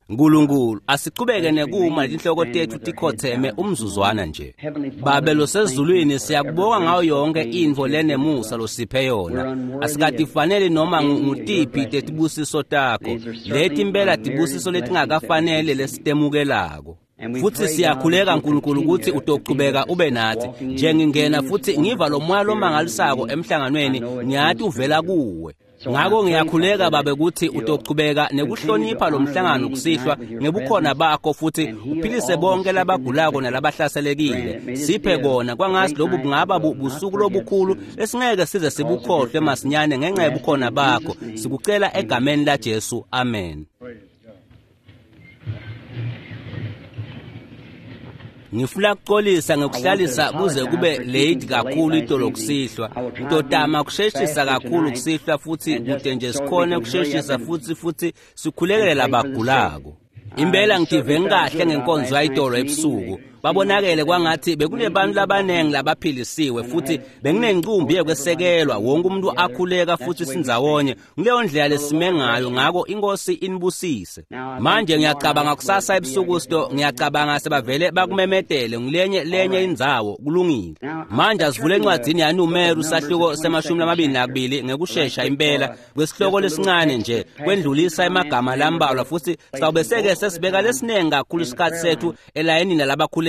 Nkulunkulu asichubeke nekuma tinhloko tetfu tikhotheme umzuzwana nje. Babe losezulwini, siyakubonga ngayo yonke intfo lenemusa losiphe yona. Asikatifaneli noma ngutiphi tetibusiso takho. Leti impela tibusiso letingakafanele lesitemukelako. Futhi siyakhuleka Nkulunkulu ukuthi utochubeka ube nathi. Njengingena futhi ngiva lo moya lomangalisako emhlanganweni, ngiyathi uvela kuwe. Ngako ngiyakhuleka Babe ukuthi utochubeka nekuhlonipha lo mhlangano kusihlwa ngebukhona bakho futhi uphilise bonke labagulako nalabahlaselekile. Siphe kona kwangathi lobu bungaba busuku lobukhulu esingeke size sibukhohlwe masinyane ngenxa yobukhona bakho. Sikucela egameni laJesu. Amen. Ngifuna ukuxolisa ngekuhlalisa kuze kube late kakhulu itolo kusihlwa. Ngitotama kusheshisa kakhulu kusihlwa futhi kude nje sikhone kusheshisa futhi sikhulekele labagulako. Impela ngitive ngikahle ngenkonzo yayitolo ebusuku. Babonakele kwangathi bekunebantu labanengi labaphilisiwe futhi benginencumbi yekwesekelwa, wonke umuntu akhuleka futhi sindzawonye. Kuleyo ndlela lesime ngayo, ngako inkosi inibusise. Manje ngiyacabanga kusasa ebusuku sito, ngiyacabanga sebavele bakumemetele ngilenye lenye indzawo, kulungile. Manje asivule encwadzini yaNumeru sahluko se-22 ngekushesha impela kwesihloko lesincane nje kwendlulisa emagama lambalwa futhi sawubeseke sesibeka lesinengi kakhulu isikhathi sethu elayinini labakhulekela.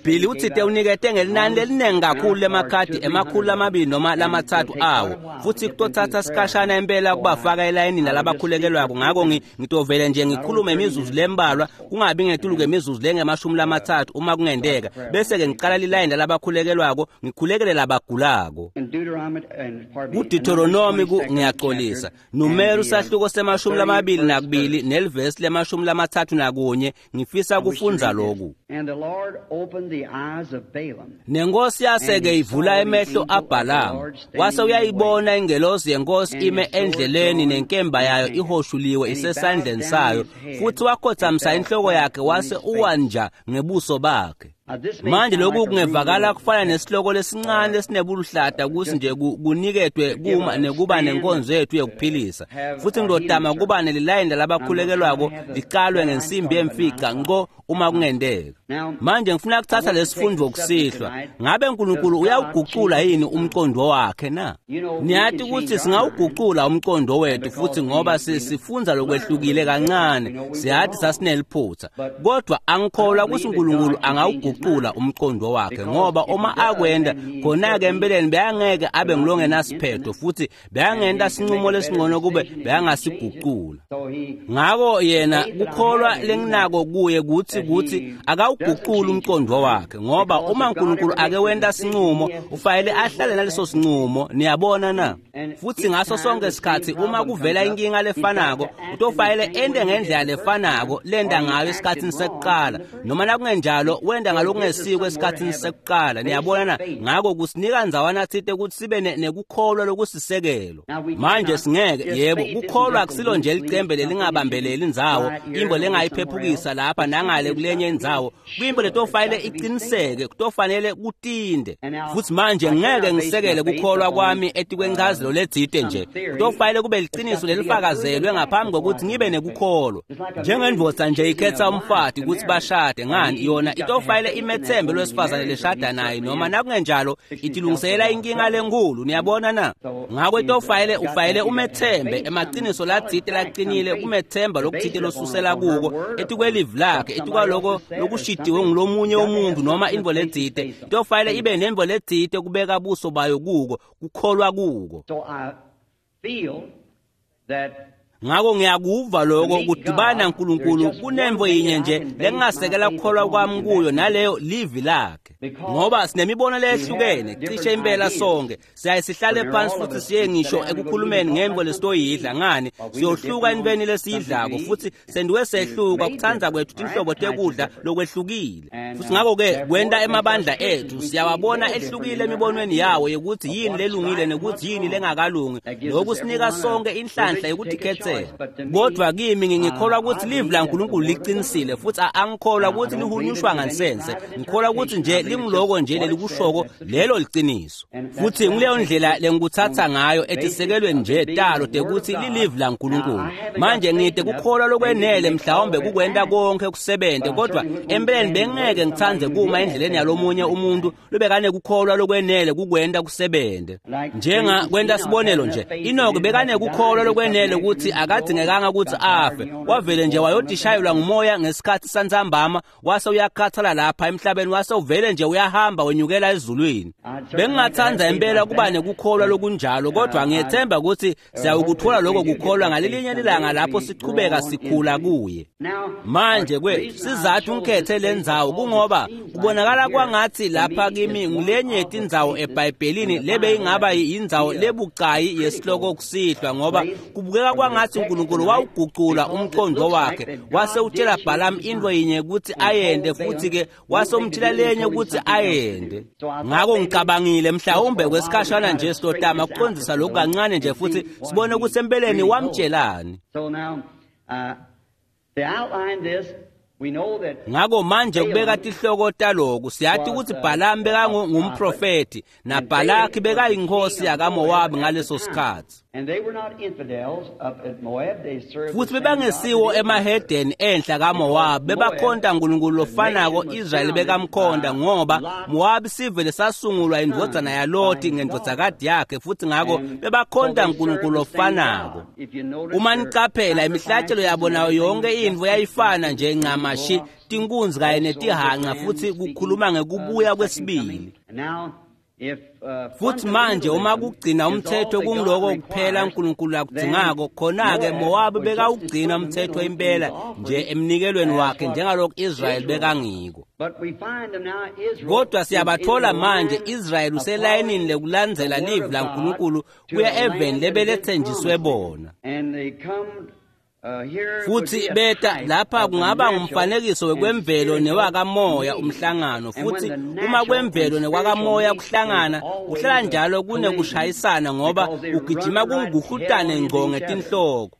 Billy utsite unikete ngelinani lelinengi kakhulu lemakhadi 200 noma 300 awo futhi kutothatha sikhashana impela kubafaka elayinini lalabakhulekelwako. Ngako ngitovele nje ngikhulume imizuzu lembalwa kungabi ngetulu kwemizuzu lengama-30 uma kungenteka, bese-ke ngicala lilayini lalabakhulekelwako ngikhulekele labagulako. KuDeuteronomy ngiyaxolisa, Numeru sahluko se-22 nelivesi le-31 ngifisa kufundza lokhu. Nenkosi yaseke ivula emehlo aBhalamu, wase uyayibona ingelosi yenkosi ime endleleni nenkemba yayo ihoshuliwe isesandleni sayo, futhi wakhothamisa inhloko yakhe wase uwanja ngebuso bakhe. Manje lokhu kungevakala kufana nesihloko lesincane lesinebuluhlata kusi nje kuniketwe kuma nekuba nenkonzo yethu yokuphilisa. Futhi ngidotama kuba nelilayini lalabakhulekelwako licalwe ngensimbi yemfica ngqo uma kungenteka. Manje ngifuna kuthatha lesifundo kusihlwa. Ngabe uNkulunkulu uyawugucula yini umqondo wakhe na? Niyathi ukuthi singawugucula umqondo wethu futhi ngoba sifundza lokwehlukile kancane, siyathi sasineliphutha. Kodwa angikholwa ukuthi uNkulunkulu angawugucula umqondo wakhe, ngoba uma akwenda khona-ke empeleni beyangeke abe ngilongenasiphetho futhi beyangenta sinqumo lesingcono kube beyangasigucula. Ngako yena kukholwa lenginako kuye kuthi akawugucula umqondo wakhe, ngoba uma uNkulunkulu ake wenta sinqumo ufanele ahlale naleso sinqumo. Niyabona na? Futhi ngaso sonke isikhathi uma kuvela inkinga lefanako utofanele ende ngendlela lefanako lenda ngayo esikhathini sekuqala, noma nakungenjalo wenda ngalokungesiko esikhathini sekuqala. Niyabona na? Ngako kusinika ndzawana tsite ukuthi sibe nekukholwa lokusisekelo. Manje singeke, yebo, kukholwa akusilo nje licembe lelingabambeleli indzawo, imbo lengayiphephukisa lapha nangale kulenye indzawo. Kwimbo letofanele iqiniseke, kutofanele kutinde. Futhi manje ngeke ngisekele kukholwa kwami etikwencazelo letsite nje. Kutofanele kube liqiniso lelifakazelwe ngaphambi kokuthi ngibe nekukholwa. Njengendvodza nje ikhetha umfati ukuthi bashade, ngani yona itofanele imethembe lwesifazane leshada naye, noma nakungenjalo itilungiselela inkinga lenkulu. Niyabona na? Ngako itofanele ufanele umethembe emaqiniso latsite laqinile, kumethemba lokutsite losusela kuko etikwelivi lakhe, etikwaloko lokushidiwe ngulomunye umuntu noma intfo letsite. Itofanele ibe nentfo letsite kubeka buso bayo kuko, kukholwa kuko. Ngako ngiyakuva lokho kudibana uNkulunkulu kunemvo yinye nje lengasekela kukholwa kwami kuyo, naleyo livi lakhe. Ngoba sinemibono lehlukene cishe impela sonke siyaye sihlale phansi futhi siye ngisho ekukhulumeni ngemvo lesitoyidla. Ngani siyohluka entweni lesiyidlako futhi sendiwe sehluka kuthandza kwethu tinhlobo tekudla lokwehlukile. Futhi ngako-ke kwenta emabandla ethu siyawabona ehlukile emibonweni yawo yokuthi yini lelungile nekuthi yini lengakalungi. Lokhu sinika sonke inhlanhla yokuthi. Kodwa kimi ngikholwa ukuthi livi laNkulunkulu liqinisile futhi angikholwa ukuthi lihunyushwa ngansense. Ngikholwa ukuthi nje lingiloko nje lelikushoko, lelo liciniso. Futhi nguleyo ndlela lengikutsatsa ngayo etisekelweni nje talo tekuthi lilivi laNkulunkulu. Manje ngide kukholwa lokwenele mhlawumbe kukwenta konke kusebente, kodwa empeleni bengeke ngitsandze kuma endleleni yalomunye umuntu lobekanekukholwa lokwenele kukwenta kusebente. Njenga kwenta sibonelo nje, Enoch bekanekukholwa lokwenele ukuthi akadzingekanga ukuthi afe, wavele nje wayodishayelwa ngumoya ngesikhathi santsambama, wase uyakhathala lapha emhlabeni, wase uvele nje uyahamba wenyukela ezulwini. Bengingatsandza impela kuba nekukholwa lokunjalo, kodwa ngiyethemba ukuthi siyawukuthola lokho kukholwa ngalelinye ilanga lapho sichubeka sikhula kuye. Manje kwethu sizathu ngikhethe lendzawo kungoba kubonakala kwangathi lapha kimi ngulenye yetindzawo eBhayibhelini lebeyingaba yindzawo lebucayi yesihloko kusihlwa, ngoba kubukeka kwangathi uNkulunkulu wawugucula umqondo wakhe wase utshela Balaam into yinye ukuthi ayende, futhi ke wase umtshela lenye ukuthi ayende. Ngakho ngicabangile mhlawumbe kwesikhashana nje silotama kuqondisa lokhu kancane nje futhi sibone ukuthi empeleni wamtshelani. Ngakho manje kubeka tihloko taloku, siyathi ukuthi Balaam bekangumprofeti naBhalaki bekayinkosi yakaMowabi ngaleso sikhathi. Futhi bebangesiwo emahedeni enhla kaMowabi, bebakhonta uNkulunkulu lofanako Israyeli bekamkhonta, ngoba Mowabi sivele sasungulwa indvodzana yaLoti ngendvodzakati yakhe, futhi ngakho bebakhonta uNkulunkulu lofanako. Uma nicaphela imihlatshelo yabo nayo yonke intfo yayifana nje ncamashi, tinkunzi kanye netihanca, futhi kukhuluma ngekubuya kwesibili. Futhi manje uma kugcina umthetho kungiloko kuphela uNkulunkulu akudzingako, khona-ke Mowabi bekawugcina umthetho impela nje emnikelweni wakhe njengalokhu Israyeli bekangiko. Kodwa siyabathola manje Israyeli uselayinini lekulandzela livi laNkulunkulu kuya eveni lebelethenjiswe bona. Futhi beta lapha kungaba ngumfanekiso wekwemvelo newakamoya umhlangano, futhi uma kwemvelo nekwakamoya kuhlangana kuhlala njalo kunekushayisana, ngoba ugijima kunguhutane ngco ngetinhloko.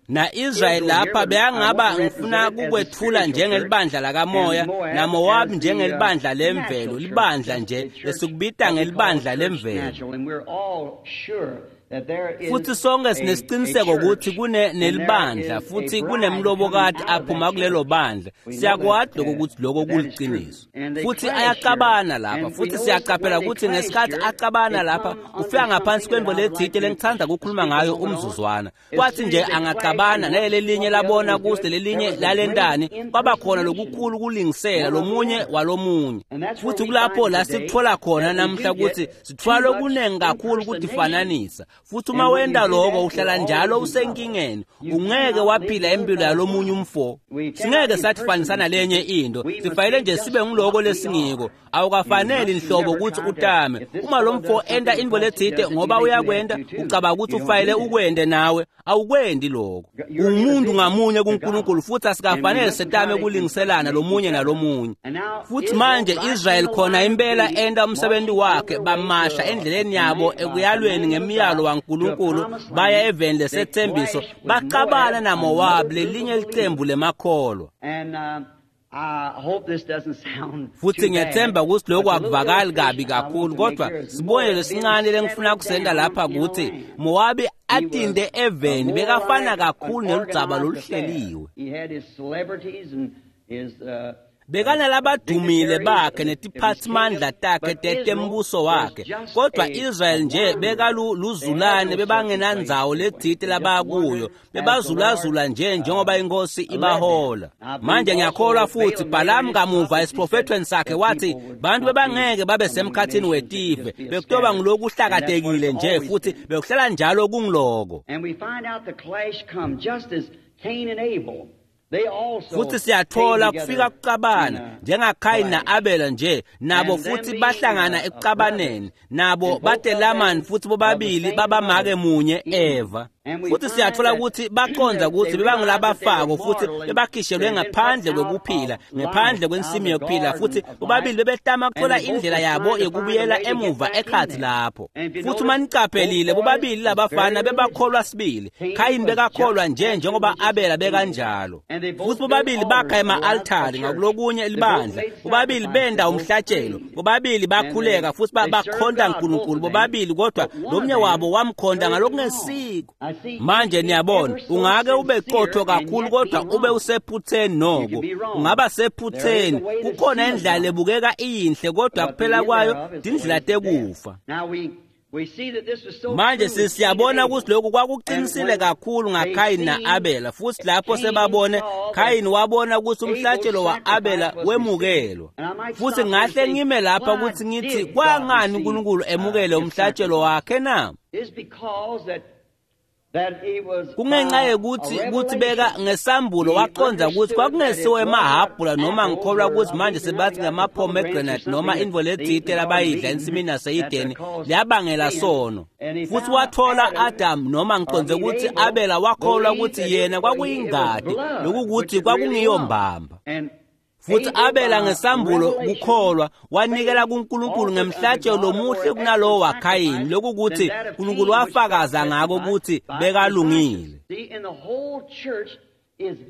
Na-Israyeli lapha beyangaba ngifuna kukwethula njengelibandla lakamoya, naMowabi njengelibandla lemvelo, libandla nje lesikubita ngelibandla lemvelo. Futhi sonke sinesiqiniseko ukuthi kunelibandla futhi kunemlobokati aphuma kulelo bandla. Siyakwati lokho ukuthi lokho kuliqiniso. Futhi ayacabana lapha, futhi siyaqaphela ukuthi ngesikhathi acabana lapha ufika ngaphansi kwembo lethite lengithanda ukukhuluma ngayo umzuzwana. Kwathi nje angacabana nalelinye labona kuhle lelinye lalentani, kwaba khona lokukhulu kulingisela lomunye walomunye. Futhi kulapho la sikuthola khona namhla ukuthi sithola lokunengi kakhulu kutifananisa. Futhi uma wenda lokho uhlala njalo usenkingeni, ungeke waphila impilo yalomunye umfo. Singeke sathifanisana lenye into, sifanele nje sibe ngiloko lesingiko. Awukafaneli nhlobo ukuthi utame. Uma lo mfo enda into lethite ngoba uyakwenda, ucabanga ukuthi ufanele ukwende nawe, awukwendi lokho. Umuntu ngamunye kuNkulunkulu, futhi asikafanele setame kulingiselana lomunye nalomunye. Futhi manje Israel khona impela enda umsebenzi wakhe, bamasha endleleni yabo ekuyalweni ngemiyalo waNkulunkulu baya eveni lesethembiso, bacabana naMowabi lelinye licembu lemakholwa. Futhi ngiyethemba ukuthi lokhu akuvakali kabi kakhulu, kodwa sibonelo esincane lengifuna kusenda lapha ukuthi Mowabi atinde eveni bekafana kakhulu neludzaba loluhleliwe. Bekanalabadumile bakhe netiphathimandla takhe tetembuso wakhe, kodwa Israel nje bekaluzulane, bebangenandzawo lethite labakuyo, bebazulazula nje njengoba inkosi ibahola. Manje ngiyakholwa futhi Balaam kamuva esiprofethweni sakhe wathi bantu bebangeke babe semkhathini wetive, bekutoba ngiloku hlakatekile nje, futhi bekuhlala njalo kungiloko. Futhi siyathola kufika kucabana njengaKhayini na-Abela nje, nabo futhi bahlangana ekucabaneni, nabo batelamani futhi bobabili babamake munye Eva. Futhi siyathola ukuthi baqonda ukuthi bebangulabafako futhi bebakhishelwe ngaphandle kwekuphila, ngaphandle kwensimu yokuphila, futhi bobabili bebetama ukuthola indlela yabo yokubuyela emuva ekhathi lapho. Futhi uma niqaphelile, bobabili labafana bebakholwa sibili. Khayini bekakholwa nje njengoba Abela bekanjalo. Futhi bobabili bakha ema-altari ngakulokunye libandla. Bobabili benda umhlatshelo. Bobabili bakhuleka futhi bakhonta uNkulunkulu bobabili, kodwa lomnye wabo wamkhonta ngalokungesiko. Manje niyabona, ungake ube qotho kakhulu kodwa ube usephutheni noko. Ungaba sephutheni, kukhona indlela ebukeka iyinhle kodwa kuphela kwayo tindlela tekufa. Manje sisiyabona ukuthi lokhu kwakuqinisile kakhulu ngaKhayini na-Abela, futhi lapho sebabone, Khayini wabona ukuthi umhlatshelo wa-Abela wemukelwa. Futhi ngahle ngime lapha ukuthi ngithi kwangani uNkulunkulu emukele umhlatshelo wakhe na? Kungenxa yokuthi kuthi beka ngesambulo waqonda ukuthi kwakungesiwo emahhabhula, noma ngikholwa ukuthi manje sebathi ngamapomegranate noma intfo letsite labayidla ensimini yase-Edeni liyabangela sono. Futhi wathola Adam, noma ngiqonde ukuthi Abela wakholwa ukuthi yena kwakuyingadi, lokukuthi kwakungiyo mbamba. Futhi Abela ngesambulo kukholwa wanikela kuNkulunkulu ngemhlatshelo lomuhle kunalowo waKhayini, lokukuthi uNkulunkulu wafakaza ngako ukuthi bekalungile.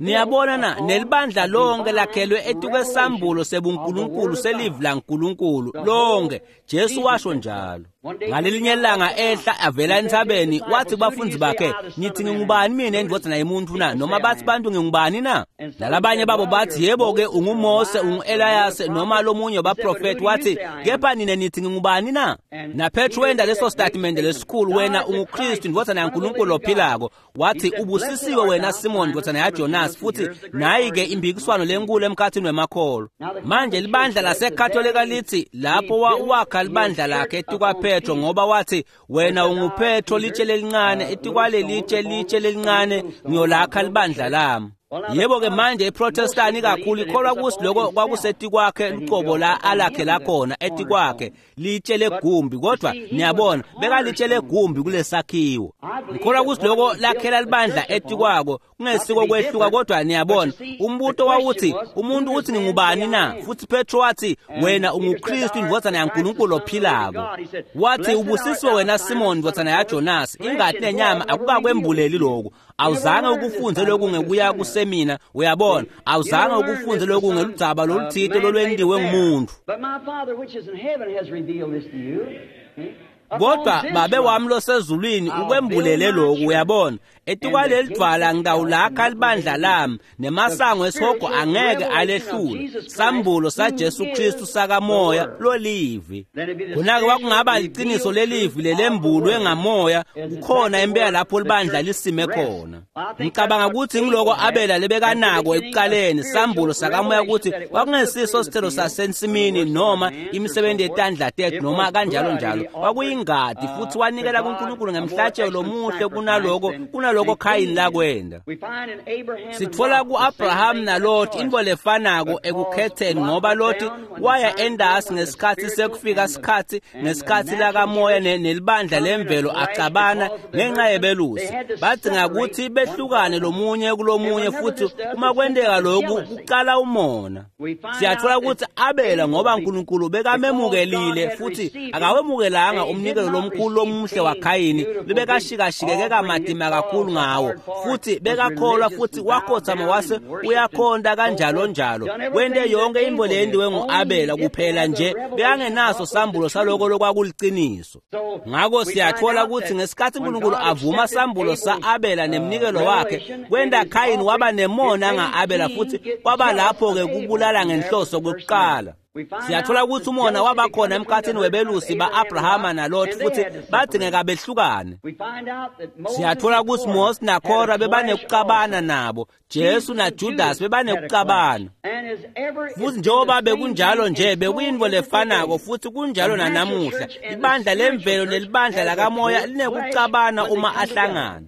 Niyabona na, nelibandla lonke lakhelwe etukwesambulo sebuNkulunkulu selivi laNkulunkulu lonke. Jesu washo njalo. Ngalelinye ilanga ehla avela entsabeni, wathi kubafundi bakhe, nithi ngingubani mina endodana yemuntu na? Noma bathi bantu ngingubani na? Nalabanye babo bathi, yebo-ke unguMose, ungu-Eliyase noma lomunye wabaprofethi. Wathi, kepha nina nithi ngingubani na? NaPetru wenda leso statimende lesikhulu, wena unguKristu indodana yaNkulunkulu ophilako. Wathi, ubusisiwe wena Simon ndodana yaJonas. Futhi nayi-ke impikiswano lenkulu emkhathini wemakholo. Manje libandla laseKatolika lithi lapho wakha libandla lakhe etukwaPetro, ngoba wathi wena unguPetro litshe lelincane, etikwalelitshe litshe lelincane ngiyolakha libandla lami. Yebo-ke manje iProtestani kakhulu ikholwa ukuthi lokho kwakusetikwakhe luqobo la alakhe lakhona etikwakhe litshe legumbi, kodwa niyabona bekalitshe legumbi kulesakhiwo. Ngikholwa ukuthi lokho lakhela libandla etikwako kungesiko kwehluka, kodwa niyabona umbuto wawuthi umuntu uthi ngingubani na? Futhi Petro wathi wena unguKristu indvodzana yaNkulunkulu ophilako. Wathi ubusisiwe wena Simon ndvodzana yaJonas, ingati nenyama akukakwembuleli lokhu. Awuzange ukufunze lokhu ngekuya kusemina, uyabona, awuzange ukufunze lokhu ngeludzaba loluthite lolwendiwe ngumuntu. Kodwa babe wami losezulwini ukwembulele lokhu, uyabona. Etikwaleli dvwala ngitawulakha libandla lami, nemasango esihogo angeke alehlule. Sambulo saJesu Kristu sakamoya lolivi. Khona-ke kwakungaba liciniso lelivi lelembulwe ngamoya, kukhona impela lapho libandla lisime khona. Ngicabanga ukuthi ngiloko Abela lebekanako ekuqaleni, sambulo sakamoya ukuthi kwakungesiso sithelo sasensimini noma imisebenzi yetandla tethu noma kanjalo njalo. Kwakuyingadi, futhi wanikela kuNkulunkulu ngemhlatshelo lomuhle kunaloko Khayini lakwenda. Sitfola ku-Abraham naLoti intfo lefanako ekukhetheni, ngoba Loti waya endasi ngesikhathi sekufika sikhathi ngesikhathi lakamoya nelibandla lemvelo acabana ngenxa yebelusi. Badzinga ukuthi behlukane lomunye kulomunye, futhi uma kwenteka lokhu kuqala umona. Siyathola ukuthi Abela, ngoba uNkulunkulu bekamemukelile futhi akawemukelanga umnikelo lomkhulu lomuhle waKhayini lebekashikashikeke kamatima kakhulu ngawo, futhi bekakholwa futhi wakhothama wase uyakhonta kanjalo njalo. Wente yonke intfo leyenziwe ngu-Abela, kuphela nje bekangenaso sambulo saloko lokwakuliciniso. Ngako siyathola ukuthi ngesikhathi uNkulunkulu avuma sambulo sa-Abela nemnikelo wakhe, kwenta Khayini waba nemona nga-Abela, futhi kwaba lapho-ke kubulala ngenhloso kwekuqala. Siyathola ukuthi umona wabakhona emkhathini webelusi ba-Abrahama naLot, futhi badingeka behlukane. Siyathola ukuthi Mose naKora bebanekucabana nabo, Jesu naJudas bebanekucabana. Futhi njengoba bekunjalo nje, bekuyintfo lefanako futhi kunjalo nanamuhla. Ibandla lemvelo nelibandla lakamoya linekucabana uma ahlangana.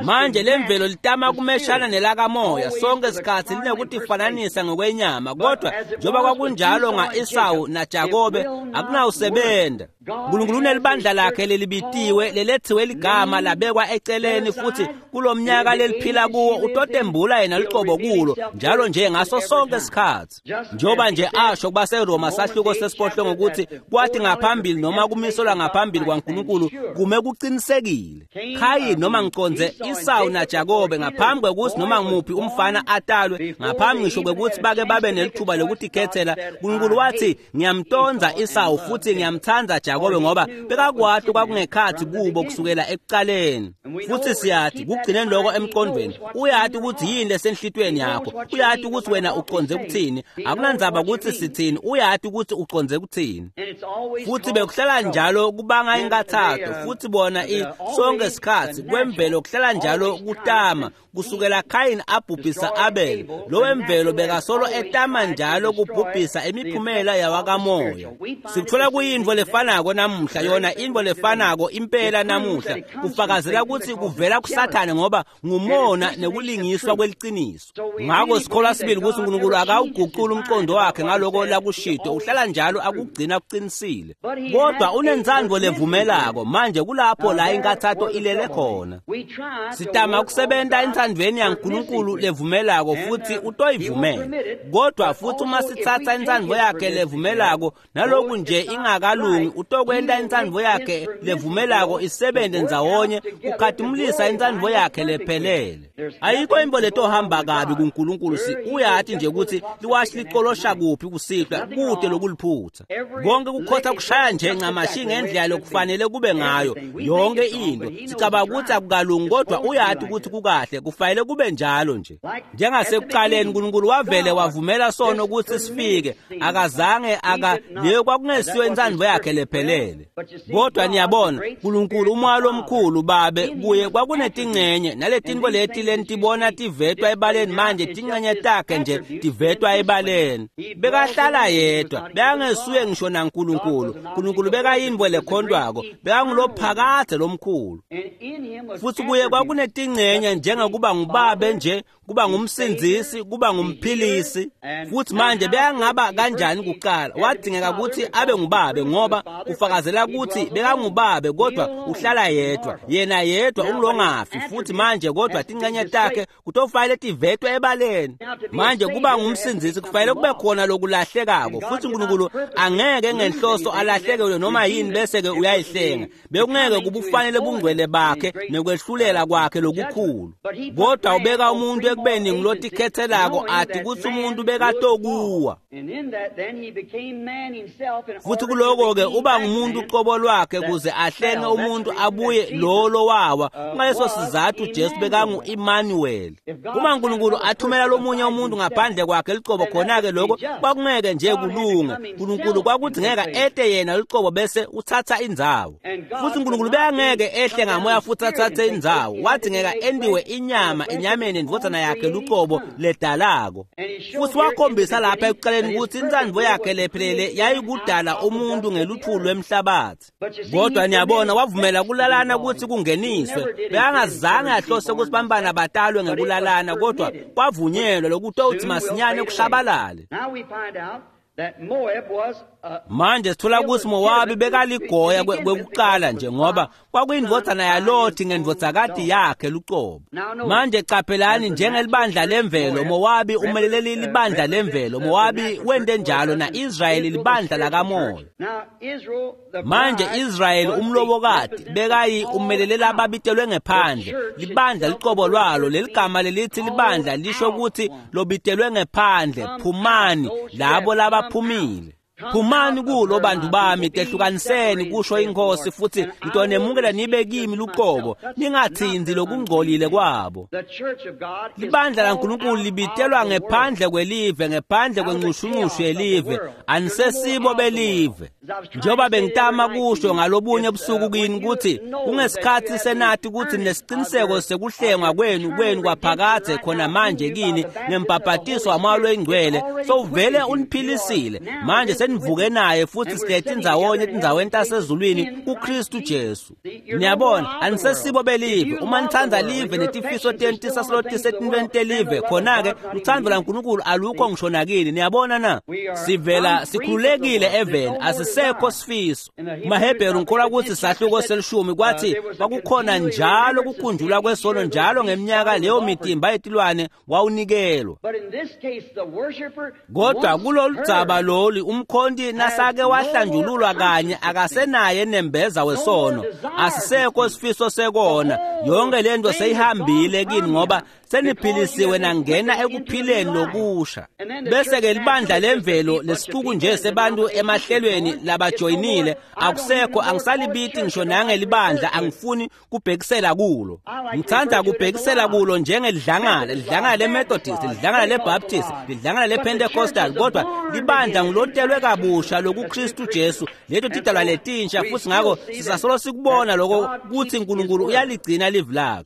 Manje lemvelo litama kumeshana nelakamoya sonke sikhathi linekutifananisa ngokwenyama, kodwa njengoba kwakunjalo nga-Esawu naJakobe akunawusebenta. Nkulunkulu unelibandla lakhe lelibitiwe lelethiwe ligama labekwa eceleni, futhi kulomnyaka leliphila kuwo utotembula yena lucobo kulo njalo nje ngaso sonke isikhathi. Njengoba nje asho kubaseRoma sahluko sesiphohlongo ukuthi kwathi ngaphambili noma kumiselwa ngaphambili kwaNkulunkulu kume kuqinisekile. Khayini noma ngiconze Isawu naJakobe ngaphambi kwekuthi noma ngimuphi umfana atalwe, ngaphambi ngisho kwekuthi bake babe nelithuba lokuthi khethela, uNkulunkulu wathi ngiyamtonza Isawu futhi ngiyamthanda Jakobe, ngoba bekakwati kwakungekhathi kubo kusukela ekuqaleni. Futhi siyathi kugcineni lokho emqondweni, uyati ukuthi yini lesenhlitweni yakho, uyati ukuthi wena uconze kuthini, akunandzaba ukuthi sithini, uyati ukuthi uconze kuthini. Futhi bekuhlala njalo kubanga inkathatho, futhi bona sonke isikhathi kwemvelo kuhlala njalo kutama kusukela Khayini abhubhisa Abel, lo wemvelo bekasolo etama njalo kubhubhisa imiphumela yawakamoya. Sikuthola kuyintfo lefanako namuhla, yona intfo lefanako impela namuhla, kufakazela ukuthi kuvela kuSathane ngoba ngumona nekulingiswa kweliciniso. Ngako sikholwa sibili ukuthi uNkulunkulu akawuguquli umqondo wakhe ngaloko lakushito, uhlala njalo akugcina kuqinisile, kodwa unentsandvo levumelako. Manje kulapho la inkathatho ilele khona. Sitama ukusebenta entsandvweni yaNkulunkulu levumelako futhi utoyivumela, kodwa futhi uma sitsatsa intsandvo yakhe levumelako naloku nje ingakalungi, utokwenta intsandvo yakhe levumelako isebenze ndzawonye kukhatimulisa intsandvo yakhe lephelele. Ayikho into letohamba kabi kuNkulunkulu. Uyati nje ukuthi liwashi licolosha kuphi kusihlwa, kude lokuliphutha konke kukhotha kushaya nje ncamashi ngendlela lokufanele kube ngayo yonke into. Sicabanga ukuthi akukalungi, kodwa uyati ukuthi kukahle, kufanele kube njalo nje. Njengasekuqaleni uNkulunkulu wavele wavumela sono ukuthi sifike, akazange aka leyo kwakungesiyo intsandvo yakhe lephelele. Kodwa niyabona, uNkulunkulu umoya lomkhulu babe kuye kwakunetingcenye naletinto leti lentibona tivetwa ebaleni manje, tingcenye takhe nje tivetwa ebaleni. Bekahlala yedwa, bekangesuye ngisho naNkulunkulu. uNkulunkulu bekayintfo lekhontwako, bekangulophakadze lomkhulu, futhi kuye kwakunetingcenye njengokuba ngubabe nje, kuba ngumsindzisi, kuba ngumphilisi. Futhi manje bekangaba kanjani? Kuqala wadingeka ukuthi abe ngubabe, ngoba kufakazela ukuthi bekangubabe, kodwa uhlala yedwa, yena yedwa ungulongafi. Futhi manje kodwa tincenye takhe kutofanele tivetwe ebaleni. Manje kuba ngumsindzisi kufanele kube khona lokulahlekako, futhi uNkulunkulu angeke ngenhloso alahlekelwe noma yini bese-ke uyayihlenga, bekungeke kubufanele bungcwele bakhe nekwehlulela kwakhe lokukhulu. Kodwa ubeka umuntu ekubeni ngilotikhethelako, athi kuthi umuntu bekatokuwa, futhi kuloko-ke uba ngumuntu uqobo lwakhe kuze ahlenge umuntu abuye lo lowawa. Kungaleso sizathu Jesu bekangu-Emmanuel. Uma uNkulunkulu athumela lomunye umuntu ngaphandle kwakhe licobo, khona-ke lokho kwakungeke nje kulunge. uNkulunkulu kwakudingeka ete yena licobo bese uthatha indzawo, futhi uNkulunkulu bekangeke ehle ngamoya futhi athathe indzawo, wadingeka endiwe inyama enyameni indvodzana yakhe lucobo ledalako. Futhi wakhombisa lapha ekuqaleni ukuthi intsandvo yakhe lephelele yayikudala umuntu ngeluthulu lwemhlabathi. Kodwa niyabona, wavumela kulalana ukuthi kungeniswe. Bekangazange ahlose ukuthi bantwana batalwe ngekulalana, kodwa kwavunyelwa lokutouthi masinyane kushabalale. Manje sithola ukuthi Mowabi bekaligoya kwekuqala nje, ngoba kwakuyindvodzana yaLothi ngendvodzakati yakhe lucobo. Manje caphelani, njengelibandla lemvelo, Mowabi umelele libandla lemvelo, Mowabi wente njalo, na-Israyeli libandla lakamoya. Manje Israyeli umlobokati bekayi umelele lababitelwe ngephandle, libandla licobo lwalo. Leligama lelithi libandla lisho ukuthi lobitelwe ngephandle, phumani, labo labaphumile. Phumani kulo bantu bami, tehlukaniseni, kusho inkosi, futhi ngitonemukela nibe kimi luqobo, ningathinzi lokungcolile kwabo. Libandla laNkulunkulu libitelwa ngephandle kwelive, ngephandle kwencushunqushu yelive, anisesibo belive. Njengoba bengitama kusho ngalobunye busuku kini ukuthi kungesikhathi senathi ukuthi nesiciniseko sekuhlengwa kwenu kwaphakadze khona manje kini ngembhabhatiso wamoya loyingcwele, sowuvele uniphilisile manje. senivuke naye futhi sihleti ndzawonye etindzaweni tasezulwini kuKristu Jesu. Niyabona, anisesibo belive. Uma nithanda live netifiso tenu tisasilotise etintweni telive, khona-ke luthando laNkulunkulu alukho ngisho nakini. Niyabona na? Sivela sikhululekile eveni, asisekho sifiso. MaHebheru ngikholwa ukuthi sahluko selishumi kwathi kwakukhona njalo kukhunjulwa kwesono njalo ngeminyaka leyo mitimba yetilwane wawunikelwa. Kodwa kulolu dzaba lolu umkhonti nasake wahlanjululwa kanye akasenaye nembeza wesono, asisekho sifiso sekona. Yonke lento seyihambile kini ngoba seniphilisiwe nangena ekuphileni lokusha. Bese-ke libandla lemvelo lesicuku nje sebantu emahlelweni labajoyinile akusekho, angisalibiti ngisho nangelibandla, angifuni kubhekisela kulo. Ngithanda kubhekisela kulo njengelidlangala, lidlangala leMethodist, lidlangala leBaptist, lidlangala lePentecostal, kodwa libandla ngulotelwe kabusha lokuKristu Jesu. Leto tidalwa letinsha futhi ngakho sisasolo sikubona lokho kuthi uNkulunkulu uyaligcina livi lakhe.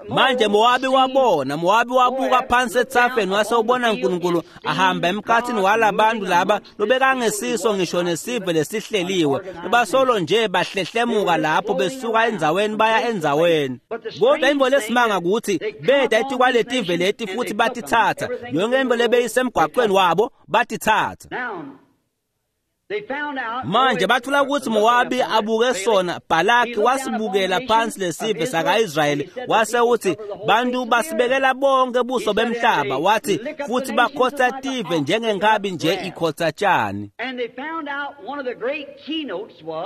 Manje Mowabi wabona, Mowabi wabuka phansi ethafeni wase ubona uNkulunkulu ahamba emkhathini walabantu laba lobekangesiso ngisho nesive lesihleliwe. Bebasolo nje bahlehlemuka lapho besuka endzaweni baya endzaweni. Kodwa imvo lesimanga ukuthi beda etikwaletive leti futhi batithatha. Yonke imvo lebeyisemgwaqweni wabo batithatha. Manje bathola ukuthi Mowabi abuke sona, Balaki wasibukela phansi lesive saka-Israyeli wase uthi bantu basibekela bonke buso bemhlaba, wathi futhi bakhotha tive njengenkabi nje ikhotha tshani.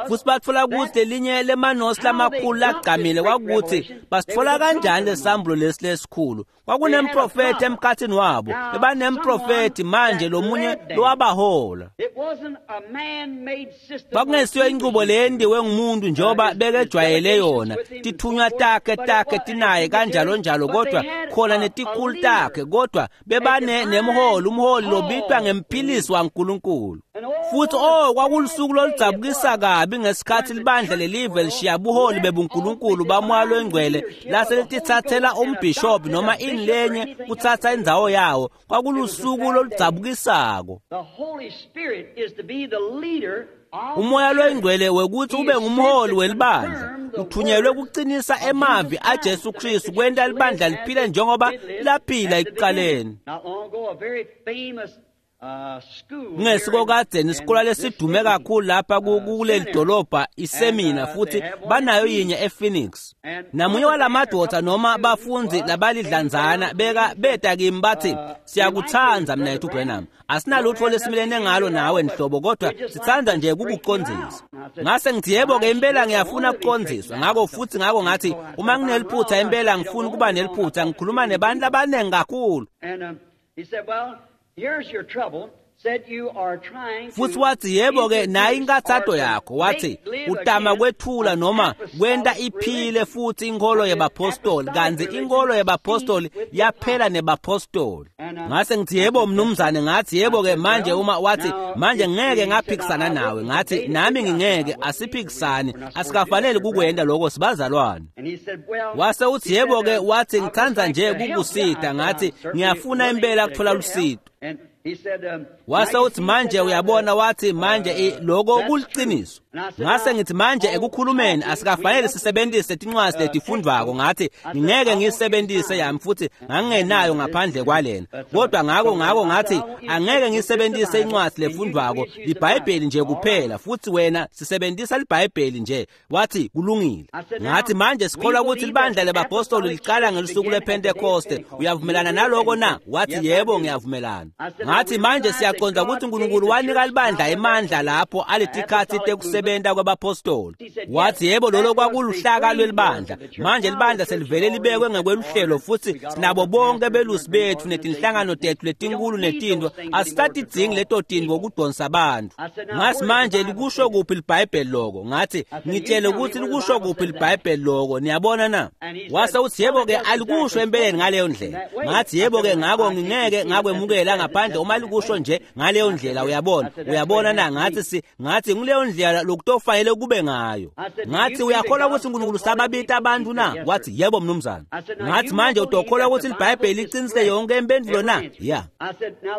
Futhi bathola ukuthi lelinye lemanosi lamakhulu lagqamile kwakuthi basithola kanjani lesambulo lesi lesikhulu. Kwakunemprofethi emkhathini wabo, bebanemprofethi manje lomunye lowabahola. Kwakungesiyo inqubo leyendiwe ngumuntu njengoba bekejwayele yona, tithunywa takhe tinaye kanjalo njalo, kodwa khona netikhulu takhe, kodwa bebane nemholi, umholi lobitwa ngemphilisi waNkulunkulu. Futhi oh, kwakulusuku loludzabukisa kabi ngesikhathi libandla lelive lishiya buholi bebuNkulunkulu baMoya loNgcwele lase litithathela umbhishobhi noma inlenye kuthatha indzawo yawo. Kwakulusuku loludzabukisako. Umoya loNgcwele wekuthi ube ngumholi welibandla uthunyelwe kuqinisa emavi aJesu Kristu kwenta libandla liphile njengoba laphila ekuqaleni. Kungesiko kadzeni isikole lesidume kakhulu lapha kuleli dolobha isemina, futhi banayo yinye ePhoenix. Namunye walamadoda noma bafundzi labalidlanzana beka beta kimi bathi siyakuthanda mnethu Branham, asinalutho lesimelene ngalo nawe nhlobo, kodwa sithanda nje ukukuqondzisa. Ngase ngithi yebo-ke impela ngiyafuna ukuqondziswa. Ngakho futhi ngakho ngathi uma ngineliphutha impela ngifuna ukuba neliphutha, ngikhuluma nebantu abaningi kakhulu. Futhi wathi yebo-ke nayi inkathato yakho, wathi utama kwethula noma kwenta iphile futhi inkolo yebapostoli, kanti inkolo yebapostoli yaphela nebapostoli. Ngase ngithi yebo mnumzane, ngathi yebo-ke manje uma wathi manje ngeke ngaphikisana nawe, ngathi nami ngingeke, asiphikisani, asikafanele kukwenda lokho, sibazalwane. Wase uthi yebo-ke, wathi ngithanda nje kukusita, ngathi ngiyafuna impela kuthola lusito. Wase uthi manje uyabona, wathi manje lokho kuliqiniso. Ngase ngithi manje ekukhulumeni asikafanele sisebenzise tincwadi letifundvako, ngathi ngeke ngiyisebenzise yami futhi ngangingenayo ngaphandle kwalena, kodwa ngakho ngathi angeke ngiyisebenzise incwadi lefundvako, iBhayibheli nje kuphela, futhi wena sisebenzisa iBhayibheli nje. Wathi kulungile. Ngathi manje sikholwa ukuthi libandla lebapostoli liqala ngelusuku lwePentekoste, uyavumelana naloko na? Wathi yebo ngiyavumelana. Ngathi manje siyaqonda ukuthi uNkulunkulu wanika libandla emandla lapho aletikhathi tekusebenza kwabapostoli. Wathi yebo lolo kwakuluhlaka lwelibandla. Manje libandla selivele libekwe ngekweluhlelo futhi sinabo bonke belusi bethu netinhlangano tethu letinkulu netinto, asisatidzingi leto tinto ukudonsa abantu. Ngathi manje likusho kuphi liBhayibheli loko? Ngathi ngitshele ukuthi likusho kuphi liBhayibheli loko, niyabona na? Wase uthi yebo-ke alikusho empeleni ngaleyo ndlela. Ngathi yebo-ke ngakho ngingeke ngakwemukela ngaphandle uma likusho nje ngaleyo ndlela, uyabona. Uyabona na? Ngathi ngathi nguleyo ndlela lokutofanele kube ngayo. Ngathi uyakholwa ukuthi uNkulunkulu sababita abantu na? Wathi yebo mnumzane. Ngathi manje utokholwa ukuthi iBhayibheli liqinise yonke impendulo na? Ya.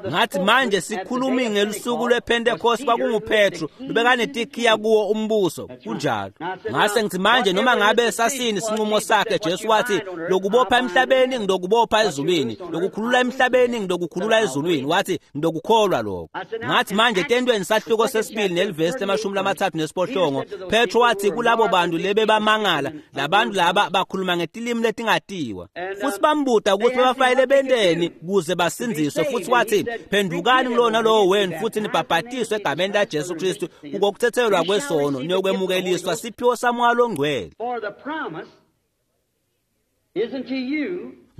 Ngathi manje sikhulumi ngelusuku lwePentecost kwakunguPetru lubekanetikhiya kuwo umbuso. Kunjalo. Ngase ngithi manje noma ngabe sasini isinqumo sakhe, Jesu wathi lokubopha emhlabeni ngidokubopha ezulwini, lokukhulula emhlabeni ngidokukhulula ezulwini. Wathi ngidokukholwa lokho. Ngathi manje tentweni sahluko sesibili nelivesi le-38, Petro wathi kulabo bantu lebebamangala, labantu laba bakhuluma ngetilimi letingatiwa, futhi bambuta ukuthi bebafayele benteni kuze basindziswe. Futhi wathi phendukani kulona lowo wenu futhi nibhabhatiswe egameni laJesu Kristu kukokuthethelwa kwesono, niyokwemukeliswa siphiwo saMoya loNgcwele.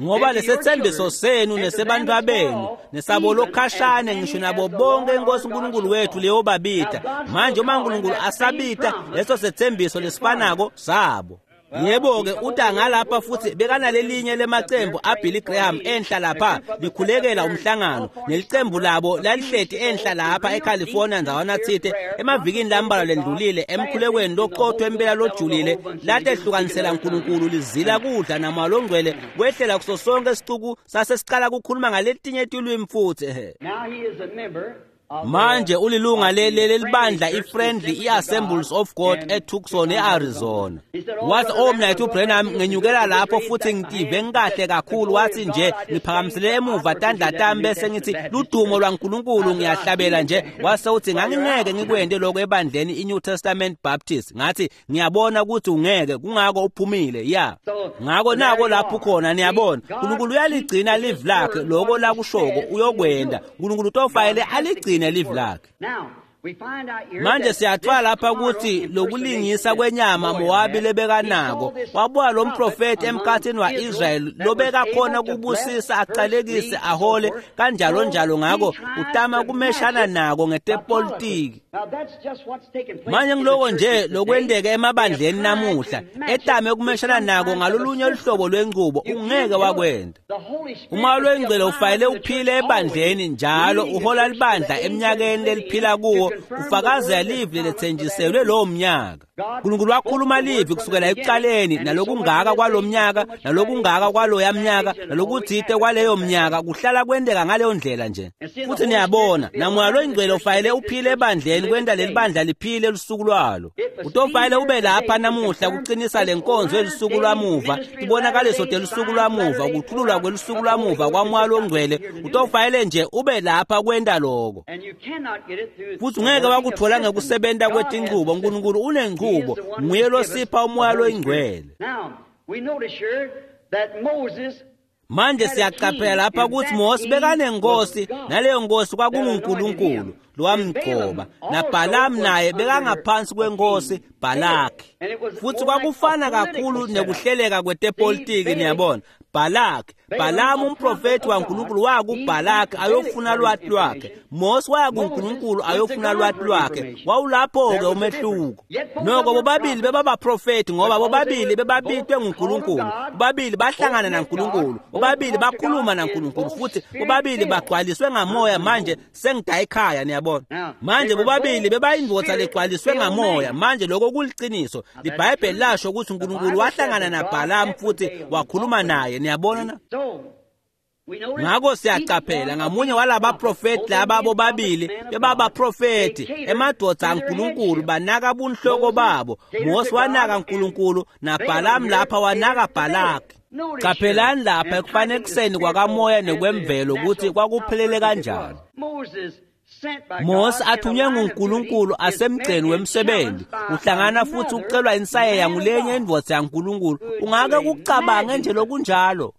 Ngoba lesethembiso senu nesebantwa benu nesabo lokhashane ngisho nabo bonke inkosi uNkulunkulu wethu leyobabita. Manje uma uNkulunkulu asabita leso sethembiso lesifanako sabo. Yebo-ke uta ngalapha futhi bekanalelinye lemacembu aBilly Graham enhla lapha likhulekela umhlangano, nelicembu labo lalihleti enhla lapha eCalifornia ndzawana tsite emavikini lambalwa lendlulile emkhulekweni loqotho empela lojulile, latehlukanisela uNkulunkulu lizila kudla namoya longcwele wehlela kuso sonke isicuku sasesiqala kukhuluma ngaletinye tilwimi futhi. Manje ulilunga lelibandla iFriendly iAssemblies of God eTucson eArizona. Wathi oh mnayethu Branham, ngenyukela lapho futhi ngitive ngikahle kakhulu. Wathi nje ngiphakamisele emuva tandla tami bese ngithi ludumo lwaNkulunkulu, ngiyahlabela nje. Wase uthi ngangingeke ngikwende lokho ebandleni iNew Testament Baptist. Ngathi ngiyabona ukuthi ungeke, kungako uphumile. Ya. Ngako nako lapho khona, niyabona uNkulunkulu uyaligcina live lakhe, lokho lakushoko uyokwenda. uNkulunkulu utofayele aligcine live lakhe. Manje siyathola lapha ukuthi lokulingisa kwenyama Mowabi lebekanako, wabuya lo mprofeti emkhathini wa-Israyeli lobekakhona kubusisa, aqalekise, ahole kanjalo njalo. Ngako utama kumeshana nako ngetepolitiki. Manje ngiloko nje lokwenteka emabandleni namuhla, etame kumeshana nako ngalolunye luhlobo lwenqubo, ungeke wakwenda. Umoya lwengcwele ufanele uphile ebandleni njalo, uhola libandla eminyakeni leliphila kuwo, ufakazela live lethenjiselwe lowo mnyaka. uNkulunkulu wakhuluma live kusukela ekuqaleni, nalokungaka kwalo mnyaka, nalokungaka kwaloya mnyaka, nalokuthite kwaleyo mnyaka, kuhlala kwenteka ngaleyo ndlela nje. Futhi niyabona namoya loyingcwele ufanele uphile ebandleni kwenta leli bandla liphile lusuku lwalo. Utofanele ube lapha namuhla kuqinisa lenkonzo yelusuku lwamuva, tibonakaliso telusuku lwamuva, ukuthululwa kwelusuku lwamuva kwamoya longcwele. Utofanele nje ube lapha kwenta lokho. Futhi ungeke wakuthola ngekusebenta kwetinchubo. uNkulunkulu unenchubo, nguye losipha umoya loyingcwele. Manje siyaqaphela lapha ukuthi Mose bekanenkosi, naleyo nkosi kwakunguNkulunkulu lowamgcoba, naBhalamu naye bekangaphansi kwenkosi Balaki. Futhi kwakufana kakhulu nekuhleleka kwetepolitiki, niyabona. Balaki, Balamu umprofeti waNkulunkulu wakuBalaki ayofuna lwati lwakhe. Mose waya kuNkulunkulu ayofuna lwati lwakhe. Wawulapho-ke umehluko. Noko bobabili bebabaprofeti ngoba bobabili bebabitwe nguNkulunkulu. Bobabili bahlangana naNkulunkulu. Bobabili bakhuluma naNkulunkulu futhi bobabili bagcwaliswe ngamoya. Manje sengidayi ekhaya, niyabona. Manje bobabili bebayindvodza legcwaliswe ngamoya. Manje lokho kuliciniso. IBhayibheli lasho ukuthi uNkulunkulu wahlangana naBhalamu futhi wakhuluma naye, niyabona na? Ngako siyaqaphela ngamunye walabaprofeti laba bobabili bebabaprofeti emadvodza aNkulunkulu, banaka bunhloko babo. Mose wanaka uNkulunkulu, naBhalamu lapha wanaka Balaki. Qaphelani lapha ekufanekiseni kwakamoya nekwemvelo ukuthi kwakuphelele kanjani. Mose athunywe nguNkulunkulu asemgceni wemsebenzi, uhlangana futhi ucelwa insayeya ngulenye indvodza yaNkulunkulu. Ungake kucabange nje lokunjalo?